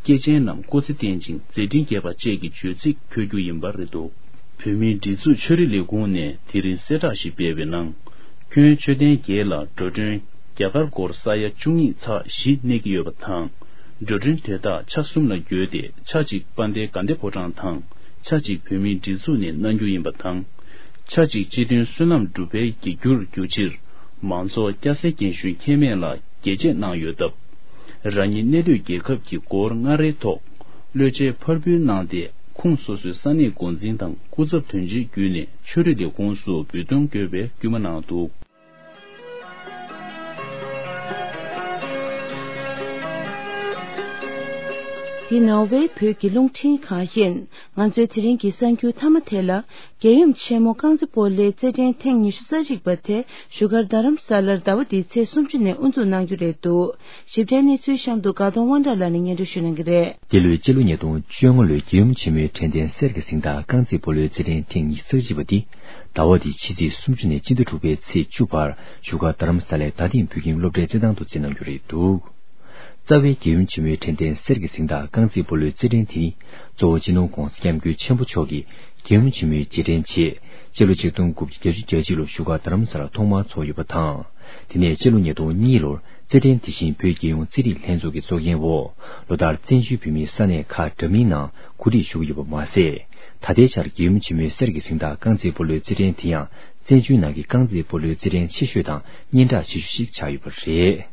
སྐྱེས་ཆེན་རྣམས་སྐུ་ཚེ་བརྟན་ཅིང་མཛད་འཕྲིན་རྒྱས་པ་བཅས་ཀྱི་བརྗོད་ཚིག་འཁོད་རྒྱུ་ཡིན་པ་རེད་འདུག་བོད་མིའི་སྒྲིག་འཛུགས་ཆོས་རིག་ལས་ཁུངས་ནས་དེ་རིང་གསལ་བསྒྲགས་ཤིག་སྤེལ་བའི་ནང་། ཁྱོན་མཆོད་རྟེན་བརྒྱད་ལ་འགྲོ་གྲོན་རྒྱ་གར་སྒོར་ས་ཡ་བཅུ་གཉིས་ཚེག་བཞི་གནས་ཀྱི་ཡོད་པ་དང་། འགྲོ་གྲོན་དེ་དག་ཆ་གསུམ་ལ་བགོས་ཏེ་ཆ་གཅིག་དཔལ་ལྡན་དགའ་ལྡན་ཕོ་བྲང་དང་། ཆ་གཅིག་བོད་མིའི་སྒྲིག་འཛུགས་ནས་གནང་རྒྱུ་ཡིན་པ་དང་། ཆ་གཅིག་སྤྱི་མཐུན་བསོད་ནམས་སྒྲུབ་པའི་གི་རྒྱུར་གྱུར་ཕྱིར། མང་ཚོགས་སྐྱ་སེར་རྒན་གཞོན་ཁྱད་མེད་ལ་རྒྱས་བཅད་གནང་ཡོད་སྟབས། རང་ཉིད་གནས་སྡོད་རྒྱལ་ཁབ་ཀྱི་སྒོར་ལྔ་རེའི་ཐོག་བློས་བཅད་ཕར་འབུལ་གནང་སྟེ། ཁོངས་སོ་སོའི་ས་གནས་འགོ་འཛིན་དང་སྐུ་ཚབ་དོན་གཅོད་བརྒྱུད་ནས་ཆོས་རིག་ལས་ཁུངས་སུ་འབུལ་གཏོང་དགོས་པའི་སྐུལ་མ་གནང་འདུག། འདི་ནོར་ཝེ་བོད་ཀྱི་རླུང་འཕྲིན་ཁང་ཡིན། ང་ཚོའི་དེ་རིང་གི་གསར་འགྱུར་མཐའ་མ་དེ་ལ། རྒྱལ་ཡུམ་ཆེན་མོ་རྐང་རྩེད་སྤོ་ལོའི་རྩེད་འགྲན་ཐེངས་ཉི་ཤུ་རྩ་གཅིག་པ་དེ་བཞུགས་སྒར་རྡ་རམ་ས་ལར་ཟླ་བ་འདིའི་ཚེས་སུམ་ཅུ་ནས་དབུ་འཛུགས་གནང་རྒྱུ་རེད་འདུག། ཞིབ་ཕྲའི་གནས་ཚུལ་གཤམ་དུ་དགའ་གདོང་དབང་གྲགས་ལགས་ནས་སྙན་སྒྲོན་ཞུ་གནང་གི་རེད། འདི་ལོའི་སྤྱི་ལོ་ཉིས་སྟོང་བཅོ་ལྔ་ལོའི་རྒྱལ་ཡུམ་ཆེན་མོའི་དྲན་རྟེན་གསེར་གྱི་གཟེངས་རྟགས་རྐང་རྩེད་སྤོ་ལོའི་རྩེད་འགྲན་ཐེངས་ཉི་ཤུ་རྩ་གཅིག་པ་འདི་ཟླ་བ་འདིའི་ཕྱི་ཚེས་སུམ་ཅུ་ནས་སྤྱི་ཟླ་དྲུག་པའི་ཚེས་བཅུ་བར་བཞུགས་སྒར་རྡ་རམ་ས་ལའི་རྡ་སྟེང་བོད་ཁྱིམ་སློབ་གྲྭའི་རྩེད་ཐང་དུ་རྩེད་གནང་རྒྱུ་རེད་འདུག། རྩ་བའི་རྒྱལ་ཡུམ་ཆེན་མོའི་དྲན་རྟེན་གསེར་གྱི་གཟེངས་རྟགས་རྐང་རྩེད་སྤོ་ལོའི་རྩེད་འགྲན་དེ་ནི་གཙོ་བོ་སྤྱི་ནོར་༸གོང་ས་༸སྐྱབས་མགོན་ཆེན་པོ་མཆོག་གིས་རྒྱལ་ཡུམ་ཆེན་མོའི་རྗེས་དྲན་ཆེད་སྤྱི་ལོ་ཆིག་སྟོང་དགུ་བརྒྱ་བརྒྱད་ཅུ་གྱ་གཅིག་ལོར་བཞུགས་སྒར་རྡ་རམ་ས་ལར་ཐོག་མར་འཚོགས་ཡོད་པ་དང་། དེ་ནས་སྤྱི་ལོ་ཉིས་སྟོང་གཉིས་ལོར་རྩེད་འགྲན་དེ་བཞིན་བོད་རྒྱལ་ཡོངས་རྩེད་རིགས་ལྷན་ཚོགས་ཀྱི་གཙོ་འགན་འོག་ལོ་ལྟར་བཙན་བྱོལ་བོད་མིའི་ས་གནས་ཁག་འདྲ་མིན་ནང་གོ་སྒྲིག་ཞུ་གི་ཡོད་པ་མ་ཟད། ད་ལྟའི་ཆར་རྒྱལ་ཡུམ་ཆེན་མོའི་གསེར་གྱི་གཟེངས་རྟགས་རྐང་རྩེད་སྤོ་ལོའི་རྩེད་འགྲན་དེ་ཡང་བཙན་བྱོལ་ནང་གི་རྐང་རྩེད་སྤོ་ལོའི་རྩེད་འགྲན་ཆེ་ཤོས་དང་སྙན་གྲགས་ཆེ་ཤོས་ཤིག་ཆགས་ཡོད་པ་རེད།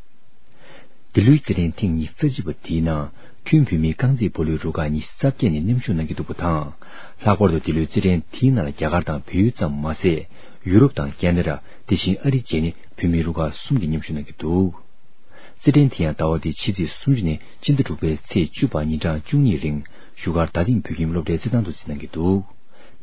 འདི་ལོའི་རྩེད་འགྲན་ཐེངས་ཉི་ཤུ་རྩ་གཅིག་པ་དེའི་ནང་ཁྱོན་བོད་མིའི་རྐང་རྩེད་སྤོ་ལོའི་རུ་ཁག་ཉི་ཤུ་རྩ་བརྒྱད་ནས་མཉམ་ཞུགས་གནང་གི་འདུག་པ་དང་། ལྷག་པར་དུ་འདི་ལོའི་རྩེད་འགྲན་དེའི་ནང་ལ་རྒྱ་གར་དང་བལ་ཡུལ་ཙམ་མ་ཟད། ཡུ་རོབ་དང་ཁེ་ན་ཌ། དེ་བཞིན་ཨ་རི་བཅས་ནས་བོད་མིའི་རུ་ཁག་གསུམ་གྱིས་མཉམ་ཞུགས་གནང་གི་འདུག། རྩེད་འགྲན་དེ་ཡང་ཟླ་བ་འདིའི་ཕྱི་ཚེས་སུམ་ཅུ་ནས་སྤྱི་ཟླ་དྲུག་པའི་ཚེས་བཅུ་བར་ཉིན་གྲངས་བཅུ་གཉིས་རིང་བཞུགས་སྒར་རྡ་སྟེང་བོད་ཁྱིམ་སློབ་གྲྭའི་རྩེད་ཐང་དུ་རྩེད་གནང་གི་འདུག།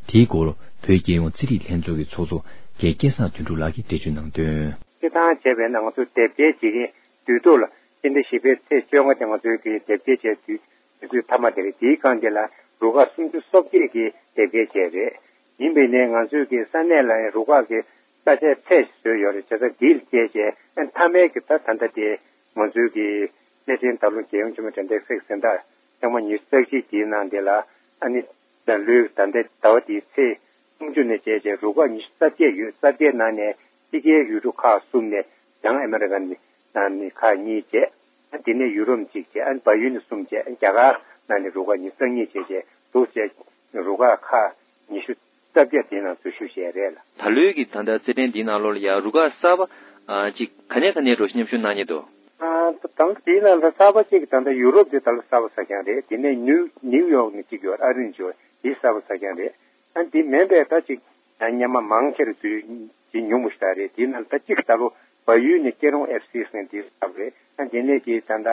དེའི་སྐོར་བོད་རྒྱལ་ཡོངས་རྩེད་རིགས་ལྷན་ཚོགས་ཀྱི་ཚོགས་གཙོ་རྒན་སྐལ་བཟང་དོན་གྲུབ་ལགས་ཀྱིས་འགྲེལ་བརྗོད་གནང་དོན། རྩེད་ཐང་བྱས་པས་ན་ང་ཚོ་དེབ་སྐྱེལ་བྱེད་མཁན་དུས་ཐོག་ལ་སྤྱི་ཟླ་བཞི་པའི་ཚེས་བཅོ་ལྔ་དེ་ང་ཚོའི་གི་དེབ་སྐྱེལ་བྱས་དུས་དུས་ཚོད་མཐའ་མ་དེ་རེད། དེའི་སྒང་དེ་ལ་རུ་ཁག་སུམ་ཅུ་སོ་བརྒྱད་ཀྱིས་དེབ་སྐྱེལ་བྱས་རེད། ཡིན་པས་ནས་ང་ཚོའི་གི་ས་གནས་ལ་རུ་ཁག་གི་ས་ཆའི་ཚད་བཟོས་ཡོད་རེད། བྱས་ཙང་དེ་ལ་བལྟས་བྱས་ཨ་མཐའ་མའི་གི་ད་ད་ལྟ་དེ་ང་ཚོའི་གི་གནས་ཆེན་རྡ་རམ་རྒྱལ་ཡུམ་ཆེན་མོ་དྲན་རྟེན་གསེར་གྱི་གཟེངས་རྟགས་ཐེངས་མ་ཉི་ཤུ་རྩ་གཅིག་དེའི་ནང་དེ་ལ་ཨ་ནི་ད་ལོའི་ད་ལྟའི་ཟླ་བ་དེའི་ཚེས་སུམ་ཅུ་ནས་བྱས་བྱས་རུ་ཁག་ཉི་ཤུ་རྩ་བརྒྱད་ཡོད། རྩ་བརྒྱད་ནང་ནས་ཕྱི་རྒྱལ་ཡུལ་གྲུ་ཁག་གསུམ་ནས་བྱང་ཨ་མེ་རི་ཀ་ནས་ནང་ནས་ཁག་གཉིས་བྱས། ཨ་དེ་ནས་ཡུ་རོབ་གཅིག་བྱས། ཨ་བལ་ཡུལ་ནས་གསུམ་བྱས། ཨ་རྒྱ་གར་ནང་ནས་རུ་ཁག་ཉི་ཤུ་རྩ་གཉིས་བྱས་བྱས་འདུག་བྱས། རུ་ཁག་ཁག་ཉི་ཤུ་རྩ་བརྒྱད་དེའི་ནང་འཛུལ་ཞུགས་བྱས་རེད་ལ། ད་ལོའི་གི་ད་ལྟ་རྩེད་འགྲན་འདིའི་ནང་ལོགས་ལ་ཡ་རུ་ཁག་གསར་པ་ཨ་གཅིག་ག་ནས་ག་ནས་འགྲོ་མཉམ་ཞུགས་གནང་མཁན་འདུག། ཨ་ད་ད་དེའི་ནང་ལ་གསར་པ་གཅིག་ད་ལྟ་ཡུ་རོབ་དེ་ད་ལོ་གསར་པ་ཆགས་ཀྱི་རེད། དེ་ནས་ནིའུ་ནིའུ་ཡོག་ནས་གཅིག་ཡོད། ཨ་རི་ནས་གཅིག་ཡོད། དེ་གསར་པ་ཆགས་ཀྱི་རེད། ཨ་དེ་མིན་པའི་ད་ཅིག་ཡང་སྔོན་མ་མང་ཆེར་དུས་ཇི་ཉུང་པོ་ཞིག་རེད། དེའི་ནང་ད་གཅིག་ད་ལོ་བལ་ཡུལ་ནས་སྐྱིད་རོང་ཨེཕ་སི་ཟེར་དེ་གསར་པ་རེད། ཨ་དེ་ནས་ཀྱི་ད་ལྟ་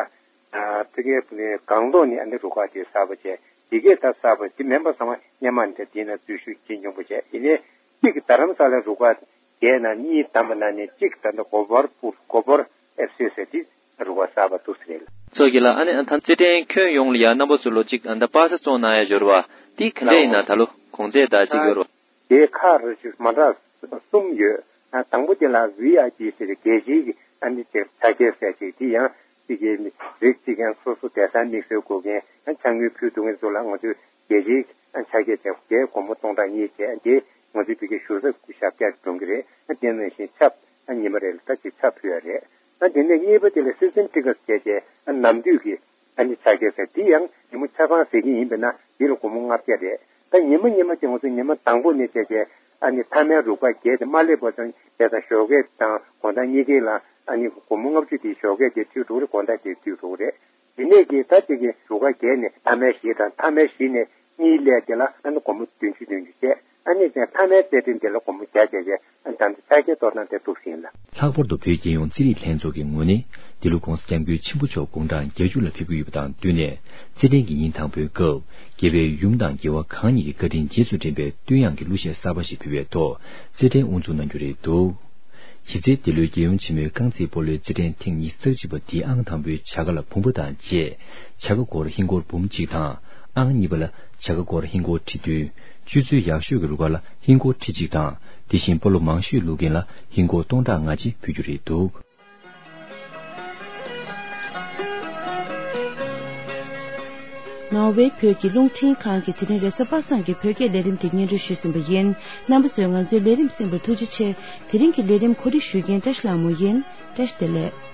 ཨ་ཕ་གིའི་སྒང་ཏོག་ནས་ཨ་ནི་རུ་ཁག་དེ་གསར་པ་བྱས། དེ་གས་ད་གསར་པ་དེ་མིན་པ་ཚང་མ་སྔོན་མ་ནས་དེའི་ནང་འཛུལ་ཞུགས་ཇི་ཉུང་པོ་བྱས། ཡིན་ནའི་གཅིག་རྡ་རམ་ས་ལའི་རུ་ཁག་བརྒྱད་ནང་གཉིས་བདམས་པ་ནང་ནས་གཅིག་ད་ལྟ་གོ་བོར་པུར་གོ་བོར་ཨེཕ་སི་ཟེར་དེ་རུ་ཁག་གསར་པ་འདུག་ཟེར་ལ། ཚོགས་ཀྱི་ལ་ཨ་ནི་ཨ་ཐང་རྩེད་འགྲན་ཁྱོན་ཡོངས་ལ་ཡ་རྣམ་པ་ཚོ་ལོ་གཅིག་ཨ་ད་པ་ས་བཙོང་གནང་ཡ་འབྱོར་བ་དེ་ག་འདྲ་ཡིན་ན་ད་ལོ་གོང་ཚད་ད་གཅིག་ཡོད་རོ། དེ་ཁག་རེ་ཞིག་མ་འདྲ་གསུམ་ཡོད། ཨ་དང་པོ་དེ་ལ་ཝི་ཨའི་ཕི་ཟེར་རྒྱལ་སྤྱིའི་ཨ་ནི་དེ་ཆ་རྐྱེན་ཟེར་ཅིག་དེ་ཡང་གཅིག་གི་རིགས་གཅིག་ཡང་སོ་སོ་བསྡད་ས་དམིགས་བསལ་དགོས་མཁན་ཨ་ཕྱག་དངུལ་ཕུལ་ཐུབ་མཁན་ཚོ་ལ་ང་ཚོས་རྒྱལ་སྤྱིའི་ཨ་ཆ་རྐྱེན་བྱས་དེ་སྒོར་མོ་སྟོང་ཕྲག་གཉིས་བྱས། དེ་ང་ཚོའི་བོད་སྐད་ཞུ་ས་ཞབས་བཀྱག་གྲོང་གི་རེད། ཨ་དེ་ནང་བཞིན་ཆབ་ཨ་ཉི་མ་རེ་ལ་ད་ཅིག་ཆབ་ཕུལ་ཡ་རེད། ཨ་དེ་ནས་གཉིས་པ་དེ་ལ་སི་སི་ཊམ་ཊི་ཀེ་ཊི་བྱས་བྱས་ཨ་ནམ་དུས་ཀྱི་ཨ་ནི་ཆ་རྐྱེན་ཟེར་དེ་ཡང་ཉིན་མོ་ཆ་ཚང་ཟེར་གྱི་ཡིན་པས་ན་དེ་ལ་སྒོར་མོ་ལྔ་བརྒྱ་རེད། ད་ཉི་མ་ཉི་མ་དེ་ང་ཚོ་ཉི་མ་དང་པོ་ནས་བྱས་བྱས་ཨ་ནི་མཐའ་མའི་རུ་ཁག་བརྒྱད་དེ་མ་སླེབས་པ་ཙམ་བྱས་ཙང་ཞོགས་ཀས་དང་དགོང་དག་གཉིས་ཀའི་ལ་ཨ་ནི་སྒོར་མོ་ལྔ་བཅུ་དེ་ཞོགས་ཀས་དེ་མཐུད་འགྲོ་གི་རེད། དགོང་དག་དེ་མཐུད་འགྲོ་གི་རེད། དེ་ནས་ཀྱི་ད་ཅིག་གི་རུ་ཁག་བརྒྱད་ནས་མཐའ་མའི་བཞི་དང་མཐའ་མའི་བཞི་ནས་གཉིས་སླེབས་དེ་ལ་ཨ་ནི་སྒོར་མོ་བདུན་ཅུ་བདུན་ཅུ་བྱས། ཨ་ནི་ཀྱང་མཐའ་མའི་རྩེད་འགྲན་དེ་ལ་སྒོར་མོ་བརྒྱ་བྱས་བྱས་ཨ་ནི་ད་ཆ་རྐྱེན་གཏོར་སྟངས་དེ་འདུག་ཟིན་ལ། ལྷག་པར་དུ་བོད་རྒྱལ་ཡོངས་རྩེད་རིགས་ལྷན་ཚོགས་ཀྱི་ངོས་ནས་འདི་ལོ་༸གོང་ས་༸སྐྱབས་མགོན་ཆེན་པོ་མཆོག་དགུང་གྲངས་བརྒྱད་ཅུ་ལ་ཕེབས་ཀྱི་ཡོད་པ་དང་བསྟུན་ནས་རྩེད་འགྲན་གྱི་ཉིན་དང་པོའི་སྐབས་རྒྱལ་བའི་ཡུམ་དང་རྒྱལ་བ་གང་ཉིད་ཀྱི་བཀའ་དྲིན་རྗེས་སུ་དྲན་པའི་བསྟོད་དབྱངས་ཀྱི་གླུ་གཞས་གསར་པ་ཞིག་ཕུལ་བའི་ཐོག་རྩེད་འགྲན་དབུ་འཛུགས་གནང་རྒྱུ་རེད་འདུག། གཞི་རྩའི་འདི་ལོའི་རྒྱལ་ཡུམ་ཆེན་མོའི་རྐང་རྩེད་སྤོ་ལོའི་རྩེད་འགྲན་ཐེངས་ཉི་ཤུ་རྩ་གཅིག་པ་འདིའི་ཨང་དང་པོའི་བྱ་དགའ་ལ་བུམ་པ་དང་བཅས་བྱ་དགའ་སྒོར་ཧིན་སྒོར་འབུམ་གཅིག་དང་། ཨང་གཉིས་པ་ལ་བྱ་དགའ་སྒོར་ཧིན་སྒོར་ཁྲི་བདུན། སྤྱོད་ཚུལ་ཡག་ཤོས་ཀྱི་རུ་ཁག་ལ་ཧིན་སྒོར་ཁྲི་གཅིག་དང་། དེ་བཞིན་སྤོ་ལོ་མང་ཤོས་བླུག་མཁན་ལ་ཧིན་སྒོར་སྟོང་ཕྲག་ལྔ་བཅས་ཕུལ་རྒྱུ་རེད་འདུག། ནོར་ཝེ་བོད་ཀྱི་རླུང་འཕྲིན་ཁང་གི་དེ་རིང་རེས་གཟའ་པ་སངས་ཀྱི་བོད་སྐད་ལས་རིམ་དེ་སྙན་སྒྲོན་ཞུས་ཟིན་པ་ཡིན། རྣམ་པ་ཚོས་ང་ཚོའི་ལས་རིམ་གསན་པར་ཐུགས་རྗེ་ཆེ། དེ་རིང་གི་ལས་རིམ་གོ་སྒྲིག་ཞུ་མཁན་བཀྲ་ཤིས་ལྷ་མོ་ཡིན། བཀྲ་ཤིས་བདེ་ལེགས།